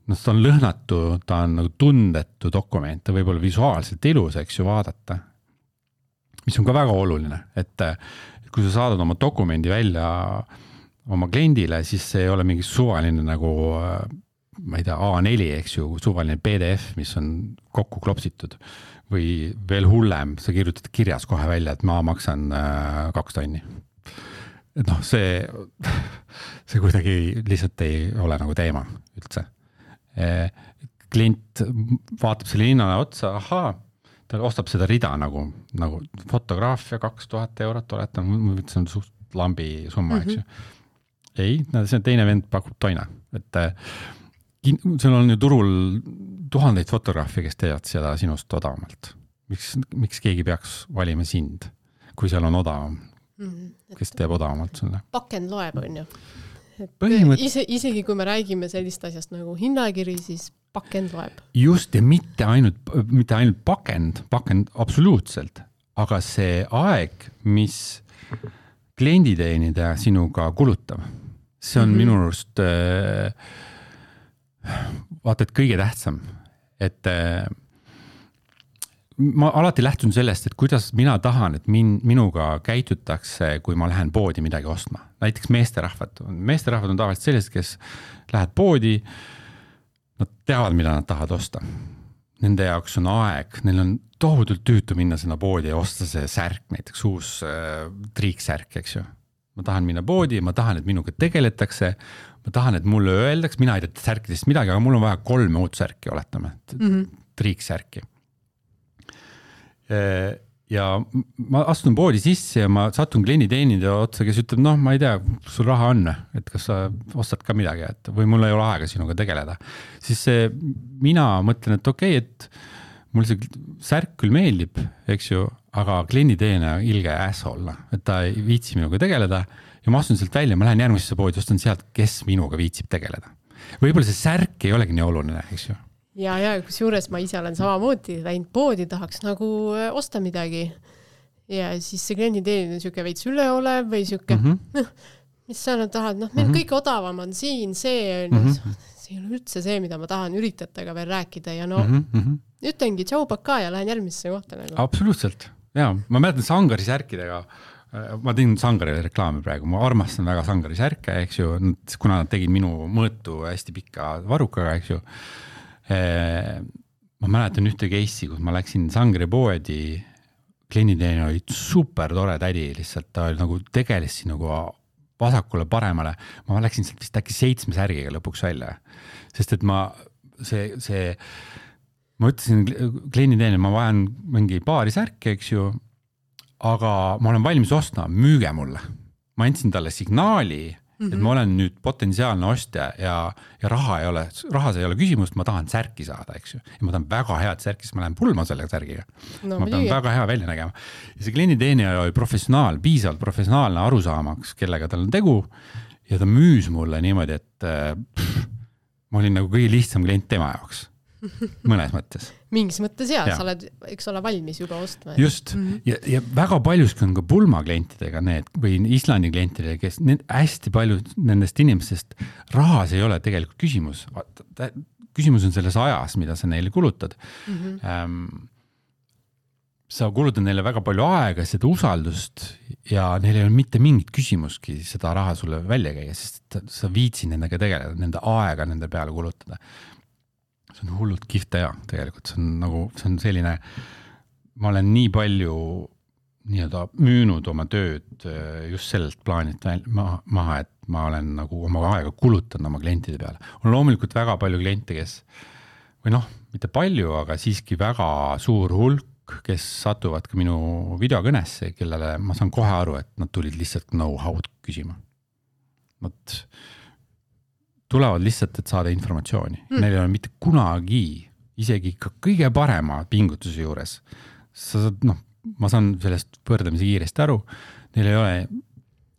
no ta on lõhnatu, ta on nagu tundetu dokument, ta võib olla visuaalselt ilus, eks ju, vaadata. Mis on ka väga oluline, et kui sa saadad oma dokumendi välja oma kliendile, siis see ei ole mingi suvaline nagu, ma ei tea, A neli, eks ju, suvaline P D F, mis on kokku klopsitud. Või veel hullem, sa kirjutad kirjas kohe välja, et ma maksan kaks tonni. Et noh, see, see kuidagi lihtsalt ei ole nagu teema üldse. Klient vaatab selle hinnale otsa, ahaa, ta ostab seda rida nagu, nagu fotograafia kaks tuhat eurot oletan, see on suht lambi summa, eks ju. Ei, see teine vend pakub toina, et seal on ju turul tuhandeid fotograafi, kes teevad seda sinust odavamalt. Miks, miks keegi peaks valima sind, kui seal on odavam, kes teeb odavamalt sulle? Pakend loeb, on ju. Põhimõtt... Ise, isegi kui me räägime sellist asjast nagu hinnakiri, siis pakend loeb. Just, ja mitte ainult, mitte ainult pakend, pakend absoluutselt, aga see aeg, mis klienditeenida sinuga kulutab, see on mm-hmm. minu arust vaata, et kõige tähtsam, et ma alati lähtun sellest, et kuidas mina tahan, et min, minuga käitutakse, kui ma lähen poodi midagi ostma. Näiteks meesterahvad. Meesterahvad on tavaliselt sellised, kes lähed poodi, nad teavad, mida nad tahavad osta. Nende jaoks on aeg, neil on tohutult tüütu minna sinna poodi ja osta see särk, näiteks uus äh, triiksärk, eks ju. Ma tahan minna poodi, ma tahan, et minuga tegeletakse, ma tahan, et mulle öeldaks, mina ei tea särkidest midagi, aga mul on vaja kolme uut särki, oletame, mm-hmm. triiksärki. Ja ma astun poodi sisse ja ma satun klienditeenida otsa, kes ütleb, noh, ma ei tea, sul raha on, et kas sa ostad ka midagi, et, või mul ei ole aega sinuga tegeleda. Siis see, mina mõtlen, et okei, okay, et mul see särk küll meeldib, eks ju, aga klienditeena ilge asshole, et ta ei viitsi minuga tegeleda ja ma astun sealt välja, ma lähen järgmisesse poodi, ostan sealt, kes minuga viitsib tegeleda. Võib-olla see särk ei olegi nii oluline, eks ju. Ja, ja kus juures ma ise olen samamoodi läinud poodi, tahaks nagu osta midagi. Ja siis see klienditeenin on siuke veits üleolev või siuke, mm-hmm. mis sa nad tahad, noh, meil mm-hmm. kõik odavam on siin, see on mm-hmm. see on üldse see, mida ma tahan üritatega veel rääkida ja no mm-hmm. ütlengi tšau paka ja lähen järgmisse kohta. Nagu. Absoluutselt, jaa. Ma mäletan Sangari särkidega, ma tegin Sangarile reklaami praegu, ma armastan väga Sangari särke, eks ju, kuna nad tegid minu mõõtu hästi pikka varukaga, eks ju. Ma mäletan ühte case'i, kus ma läksin Sangri poodi, klienditeeni oli super tore tädi, lihtsalt ta oli nagu tegelesi nagu vasakule paremale. Ma läksin sealt vist äkki seitsme särgiga lõpuks välja, sest et ma see, see ma ütlesin klienditeeni, ma vajan mingi paari särki, eks ju, aga ma olen valmis ostma, müüge mulle. Ma andsin talle signaali, mm-hmm. et ma olen nüüd potentsiaalne ostja ja, ja raha ei ole, rahas ei ole küsimust, ma tahan särki saada, eks ju. Ja ma tahan väga head särki, siis ma lähen pulma selle särgiga. No, ma pean nii. Väga hea välja nägema. Ja see klienditeenija oli professionaal, piisavalt professionaalne arusaamaks, kellega tal on tegu ja ta müüs mulle niimoodi, et pff, ma olin nagu kõige lihtsam klient tema jaoks, mõnes mõttes. Mingis mõttes jah, sa oled, eks ole, valmis juba ostma. Just, mm-hmm. ja, ja väga paljuski on ka pulma klientidega need, või Islandi klientidega, kes need hästi palju nendest inimestest rahas ei ole tegelikult küsimus. Küsimus on selles ajas, mida sa neile kulutad. Mm-hmm. Ähm, sa kulutad neile väga palju aega, seda usaldust ja neil ei ole mitte mingit küsimuski seda raha sulle välja käia, sest sa viitsid nendega tegeleda, nende aega nende peale kulutada. See on hullult kihvt teha tegelikult, see on nagu, see on selline, ma olen nii palju nii-öelda müünud oma tööd just sellelt plaanilt maha, et ma olen nagu oma aega kulutanud oma klientide peale. On loomulikult väga palju kliente, kes, või noh, mitte palju, aga siiski väga suur hulk, kes satuvad ka minu videokõnesse, kellele ma saan kohe aru, et nad tulid lihtsalt know-how'd küsima. Nad tulevad lihtsalt, et saada informatsiooni. Mm. Neil ei ole mitte kunagi, isegi ka kõige parema pingutuse juures. Sa saad, noh, ma saan sellest võrdlemisi kiiresti aru, neil ei ole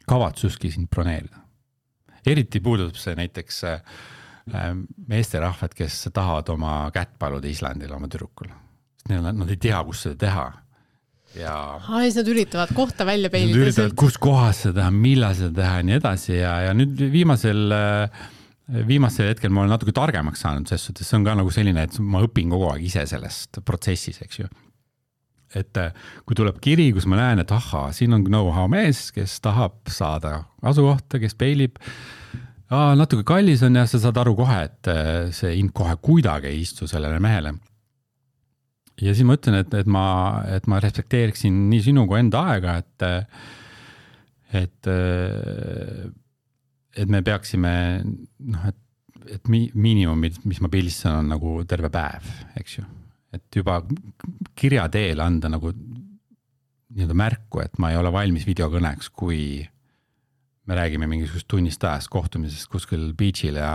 kavatsuski sind broneerida. Eriti puudutab see näiteks meesterahvad, kes tahavad oma kätt paluda Islandil oma tüdrukul. Nad ei tea, kus seda teha. Ja Aa, siis nad üritavad kohta välja peilida. Nad üritavad, kus kohas seda teha, millal seda teha ja nii edasi. Ja, ja nüüd viimasel, viimasel hetkel ma olen natuke targemaks saanud, sest see on ka nagu selline, et ma õpin kogu aeg ise sellest protsessis, eks ju. Et kui tuleb kiri, kus ma näen, et aha, siin on know-how mees, kes tahab saada asukohta, kes peilib. Aa, natuke kallis on ja sa saad aru kohe, et see ind kohe kuidagi ei istu sellele mehele. Ja siis ma ütlen, et, et, ma, et ma respekteeriksin nii sinu kui enda aega, et, et, et me peaksime, noh, et, et miinimum, mis ma pilistan, on nagu terve päev, eks ju. Et juba kirja teel anda nagu nii-öelda märku, et ma ei ole valmis videokõneks, kui me räägime mingisugust tunnist ajast kohtumisest kuskil beachil ja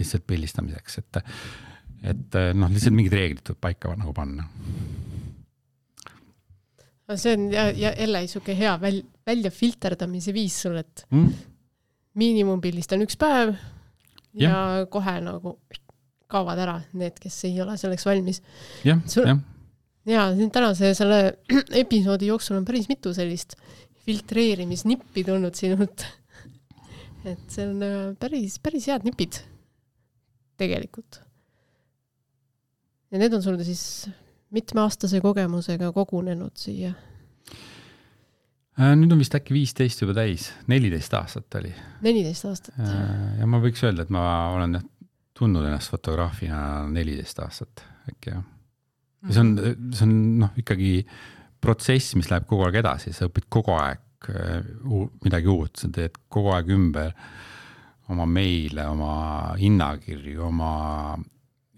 lihtsalt pildistamiseks, et et noh, lihtsalt mingid reeglid tuleb paika nagu panna. See on ja, ja jälle isuke hea väl, välja filterdamise viis sul, et mm. miinimumpildist on üks päev ja, ja kohe nagu kaovad ära need, kes ei ole selleks valmis. Ja, sul, ja. ja tänase selle episoodi jooksul on päris mitu sellist filtreerimisnippi tulnud sinult. Et see on päris, päris head nipid tegelikult. Ja need on sul siis mitmeaastase kogemusega kogunenud siia? Nüüd on vist äkki viisteist juba täis, neliteist aastat oli. neliteist aastat. Ja ma võiks öelda, et ma olen tundnud ennast fotograafina neliteist aastat äkki. Ja. See on, see on noh, ikkagi protsess, mis läheb kogu aeg edasi, sa õpid kogu aeg midagi uut, sa teed kogu aeg ümber oma meile, oma hinnakirju, oma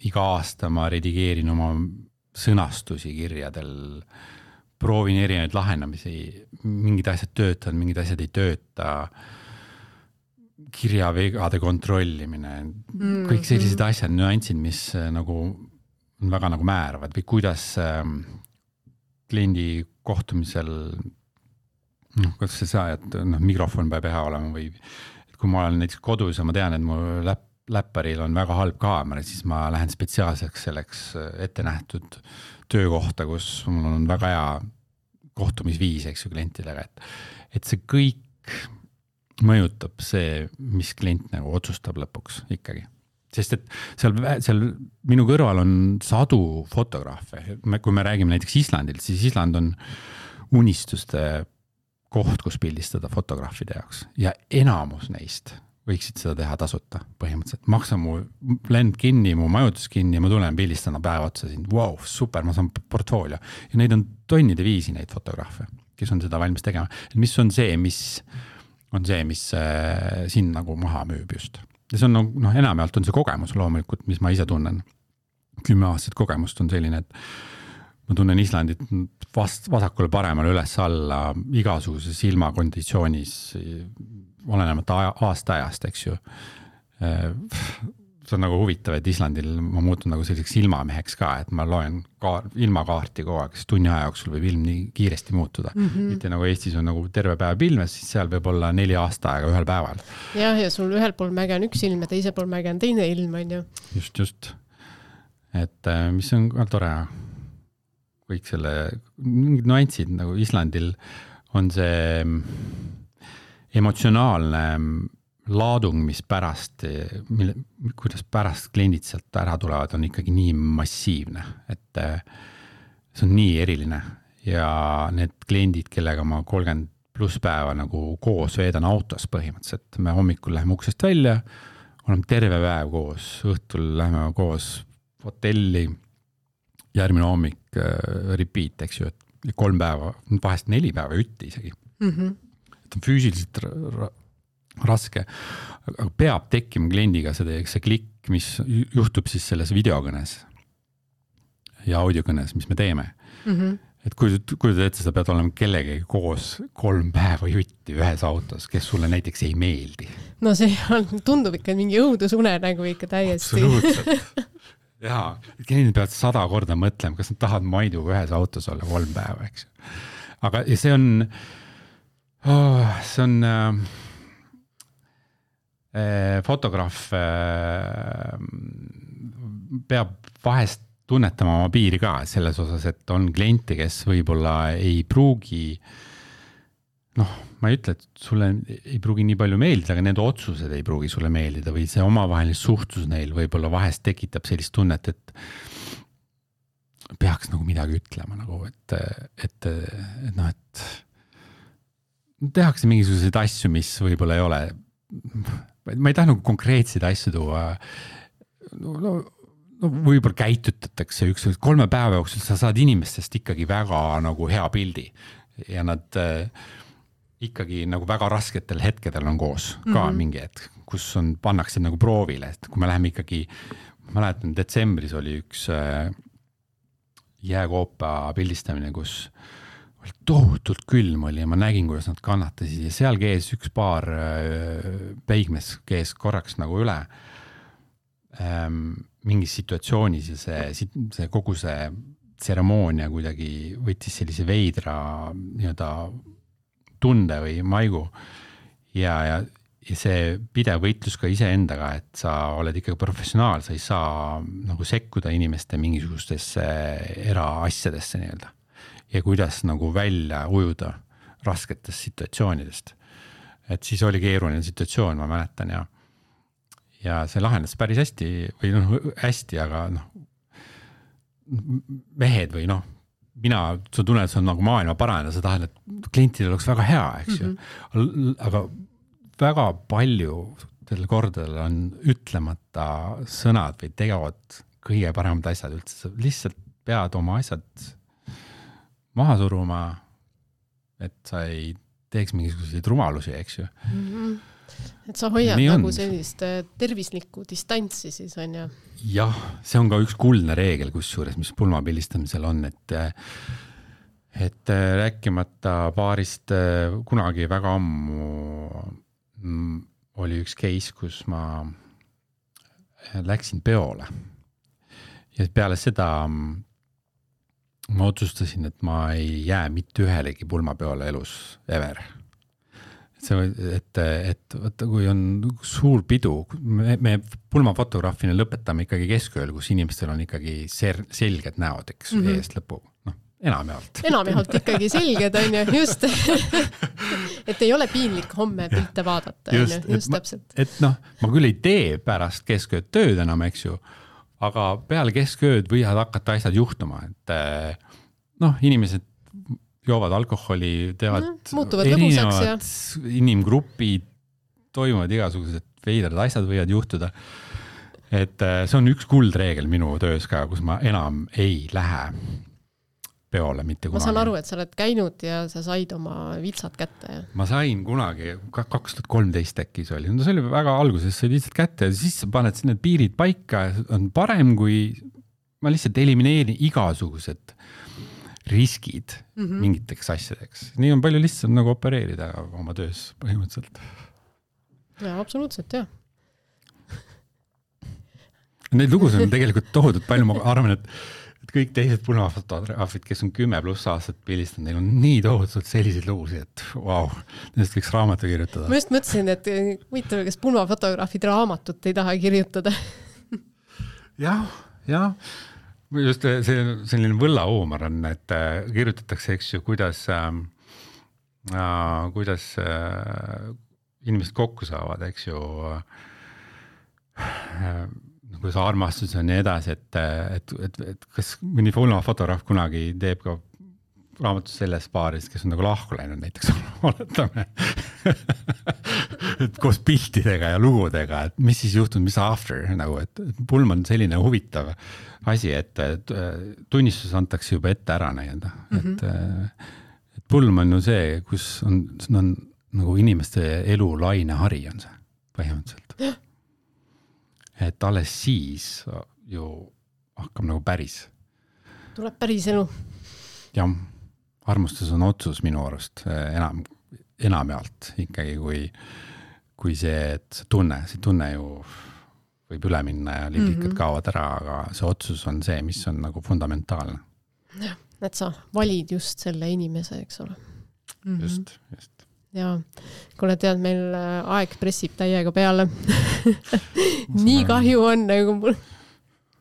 iga aasta ma redigeerin oma sõnastusi kirjadel, proovin erinevaid lahendamisi, mingid asjad töötavad, mingid asjad ei tööta, kirjavegade kontrollimine, mm-hmm. kõik sellised asjad, nüansid, mis nagu on väga nagu määravad või kuidas ähm, kliendi kohtumisel, noh, kuidas see saa, et noh, mikrofon peab hea olema või et kui ma olen näiteks kodus ja ma tean, et mu läpp läpparil on väga halb kaamera, siis ma lähen spetsiaalseks selleks ette nähtud töökohta, kus mul on väga hea kohtumisviis, eks ju, klientidega, et, et see kõik mõjutab see, mis klient nagu otsustab lõpuks ikkagi. Sest et seal, seal minu kõrval on sadu fotograafe. Kui me räägime näiteks Islandilt, siis Island on unistuste koht, kus pildistada fotograafide jaoks ja enamus neist võiksid seda teha tasuta põhimõtteliselt. Maksa mu lend kinni, mu majutus kinni ja ma tulen pildistana päeva otsa siin. Wow, super, ma saan portfoolio. Ja neid on tonnide viisi neid fotograafe, kes on seda valmis tegema. Mis on see, mis on see, mis äh, siin nagu maha müüb just. Ja see on, noh, enamjaolt on see kogemus loomulikult, mis ma ise tunnen. Kümme aastat kogemust on selline, et ma tunnen Islandit vast, vasakule paremale üles alla igasuguses ilmakonditsioonis, olenemata aasta ajast, eks ju. see on nagu huvitav, et Islandil ma muutun nagu selliseks ilmameheks ka, et ma loen ka ilmakaarti kogu aeg, sest tunni aja jooksul võib ilm nii kiiresti muutuda. Mm -hmm. mitte nagu Eestis on nagu terve päev pilmes, siis seal võib olla neli aasta aega ühel päeval. Jah, ja sul ühel pool mäge on üks ilm ja teisel pool mäge on teine ilm, on ju. Just, just. Et mis on ka tore, kõik selle, mingid nuansid nagu Islandil on see emotsionaalne laadung, mis pärast, mille, kuidas pärast kliendid sealt ära tulevad, on ikkagi nii massiivne, et see on nii eriline ja need kliendid, kellega ma kolmkümmend pluss päeva nagu koos veedan autos põhimõtteliselt, me hommikul läheme uksest välja, oleme terve päev koos, õhtul läheme koos hotelli, järgmine hommik repeat, eks ju, et kolm päeva, vahest neli päeva ütti isegi. Mm-hmm. Et on füüsiliselt ra raske, aga peab tekkima kliendiga see, see klikk, mis juhtub siis selles videokõnes ja audiokõnes, mis me teeme. Mm-hmm. Et kui, kui te ette, sa pead olema kellegagi koos kolm päeva jutti ühes autos, kes sulle näiteks ei meeldi. No see on, tundub ikka mingi õudusune nagu ikka täiesti. Absoluutselt. Jaa, kliendid peavad sada korda mõtlema, kas nad tahavad Maiduga ühes autos olla kolm päeva, eks. Aga see on, oh, see on äh, fotograaf äh, peab vahest tunnetama oma piiri ka selles osas, et on kliente, kes võib-olla ei pruugi, noh, ma ei ütle, et sulle ei pruugi nii palju meeldida, aga need otsused ei pruugi sulle meeldida või see omavaheline suhtlus neil võib-olla vahest tekitab sellist tunnet, et peaks nagu midagi ütlema, nagu, et, et, et noh, et tehakse mingisuguseid asju, mis võib-olla ei ole, ma ei taha nagu konkreetseid asju tuua, no, no, no võib-olla käitutatakse üks, kolme päeva jooksul sa saad inimestest ikkagi väga nagu hea pildi ja nad äh, ikkagi nagu väga rasketel hetkedel on koos ka mm-hmm. mingi hetk, kus on, pannakse nagu proovile, et kui me läheme ikkagi, ma mäletan, detsembris oli üks äh, jääkoopa pildistamine, kus oli tohutult külm oli ja ma nägin, kuidas nad kannatasid ja seal kees üks paar äh, peigmes kees korraks nagu üle ähm, mingis situatsioonis ja see, see kogu see tseremoonia kuidagi võttis sellise veidra nii-öelda tunde või maigu ja, ja, ja see pidev võitlus ka iseendaga, et sa oled ikkagi professionaal, sa ei saa nagu sekkuda inimeste mingisugustesse eraasjadesse nii-öelda ja kuidas nagu välja ujuda rasketest situatsioonidest. Et siis oli keeruline situatsioon, ma mäletan ja ja see lahendas päris hästi või noh, hästi, aga noh, mehed või noh, mina, sa tunned, et see on nagu maailma parane, sa tahad, et klientidel oleks väga hea, eks ju. Mm-hmm. Aga väga palju tälle kordadel on ütlemata sõnad või tegevad kõige paremad asjad üldse. Sa lihtsalt pead oma asjad maha suruma, et sa ei teeks mingisuguseid rumalusi, eks ju. Mm-hmm. Et sa hoiad Nii nagu on. Sellist tervislikku distantsi siis on ja? Jah, see on ka üks kuldne reegel kusjuures, mis pulmapildistamisel on, et, et rääkimata paarist kunagi väga ammu oli üks case, kus ma läksin peole ja peale seda ma otsustasin, et ma ei jää mitte ühelegi pulmapeole elus ever. See, et, et võtta, kui on suur pidu, me, me pulmafotograafina lõpetame ikkagi keskööl, kus inimestel on ikkagi ser, selged näod, eks mm -hmm. eest lõpu, noh, enamjaolt. Enamjaolt ikkagi selged on ju, just. Et ei ole piinlik homme pilte vaadata, just, on ju, just ma, täpselt. Et noh, ma küll ei tee pärast keskööd tööd enam, eks ju, aga peale keskööd võivad hakata asjad juhtuma, et noh, inimesed joovad alkoholi, teevad no, erinevad ja. inimgrupid, toimuvad igasugused veidrad asjad võivad juhtuda. Et see on üks kuldreegel minu töös ka, kus ma enam ei lähe peole mitte kunagi. Ma saan aru, et sa oled käinud ja sa said oma vitsad kätte. Ja? Ma sain kunagi, kaks tuhat kolmteist äkki see oli. No see oli väga alguses, said vitsad kätte ja siis sa paned sinne piirid paika, on parem, kui ma lihtsalt elimineerin igasugused riskid mm-hmm. mingiteks asjadeks. Nii on palju lihtsam nagu opereerida oma töös põhimõtteliselt. Ja, absoluutselt, jah. Neid lugusid on tegelikult tohutult palju, ma arvan, et, et kõik teised pulmafotograafid, kes on kümme pluss aastat pildistanud, neil on nii tohutult selliseid lugusid, et vau, wow, nendest võiks raamatu kirjutada. Ma just mõtlesin, et huvitav, kas pulmafotograafid raamatut ei taha kirjutada. jah, jah. Just see selline võllahuumor on, et kirjutatakse, eks ju, kuidas, äh, kuidas äh, inimesed kokku saavad, eks ju, äh, kuidas armastus on nii edasi, et, et, et, et kas mõni fotograaf kunagi teeb ka raamatus selles paaris, kes on nagu lahku läinud näiteks, oletame, et koos piltidega ja lugudega, et mis siis juhtub, mis after, nagu, et, et pulm on selline huvitav asi, et, et tunnistus antakse juba ette ära näienda, mm-hmm. et, et pulm on ju see, kus on, on nagu inimeste elu laine hari on see põhimõtteliselt. Et alles siis ju hakkab nagu päris. Tuleb päris elu. Jah, armustus on otsus minu arust enam, enamjaalt ikkagi, kui, kui see, et see tunne, see tunne ju võib üle minna ja lillikad mm-hmm. kaovad ära, aga see otsus on see, mis on nagu fundamentaalne. Jah, et sa valid just selle inimese, eks ole. Mm-hmm. Just, just. Ja, kuule tead, meil aeg pressib täiega peale. Nii kahju on, nagu mul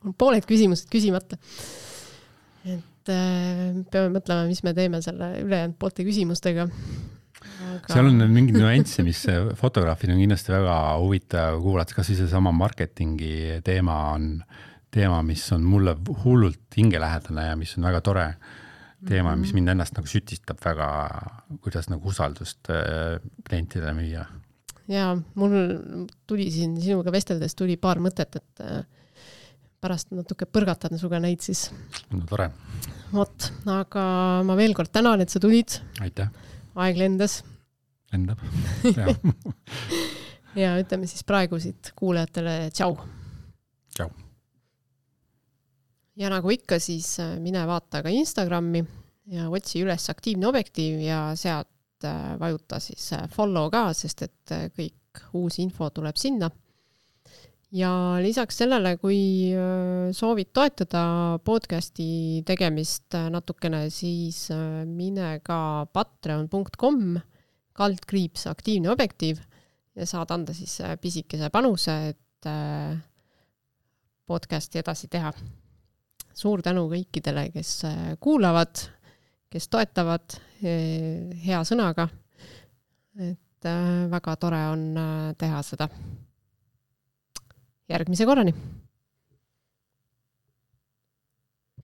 on pooled küsimused küsimata. Et äh, peame mõtlema, mis me teeme selle ülejäänud poolte küsimustega. Aga... seal on mingid nüansse, mis fotograafid on kindlasti väga huvitav kuulata, kas see sama marketingi teema on teema, mis on mulle hullult hingelähedane ja mis on väga tore teema, mis mind ennast nagu sütistab väga, kuidas nagu usaldust klientidele müüa. Ja mul tuli siin sinuga vesteldes tuli paar mõtet, et pärast natuke põrgatad suga neid siis. No tore. Vot, aga ma veel kord tänan, et sa tulid. Aitäh. Aeg lendas. Lendab. Ja. Ja ütleme siis praegu siit kuulajatele tšau. Tšau. Ja nagu ikka, siis mine vaata ka Instagrami ja otsi üles aktiivne objektiiv ja sealt vajuta siis follow ka, sest et kõik uus info tuleb sinna. Ja lisaks sellele, kui soovid toetada podcasti tegemist natukene, siis mine ka patreon punkt com kaldkriips aktiivne objektiiv ja saad anda siis pisikese panuse, et podcasti edasi teha. Suur tänu kõikidele, kes kuulavad, kes toetavad hea sõnaga. Et väga tore on teha seda. Järgmise korrani!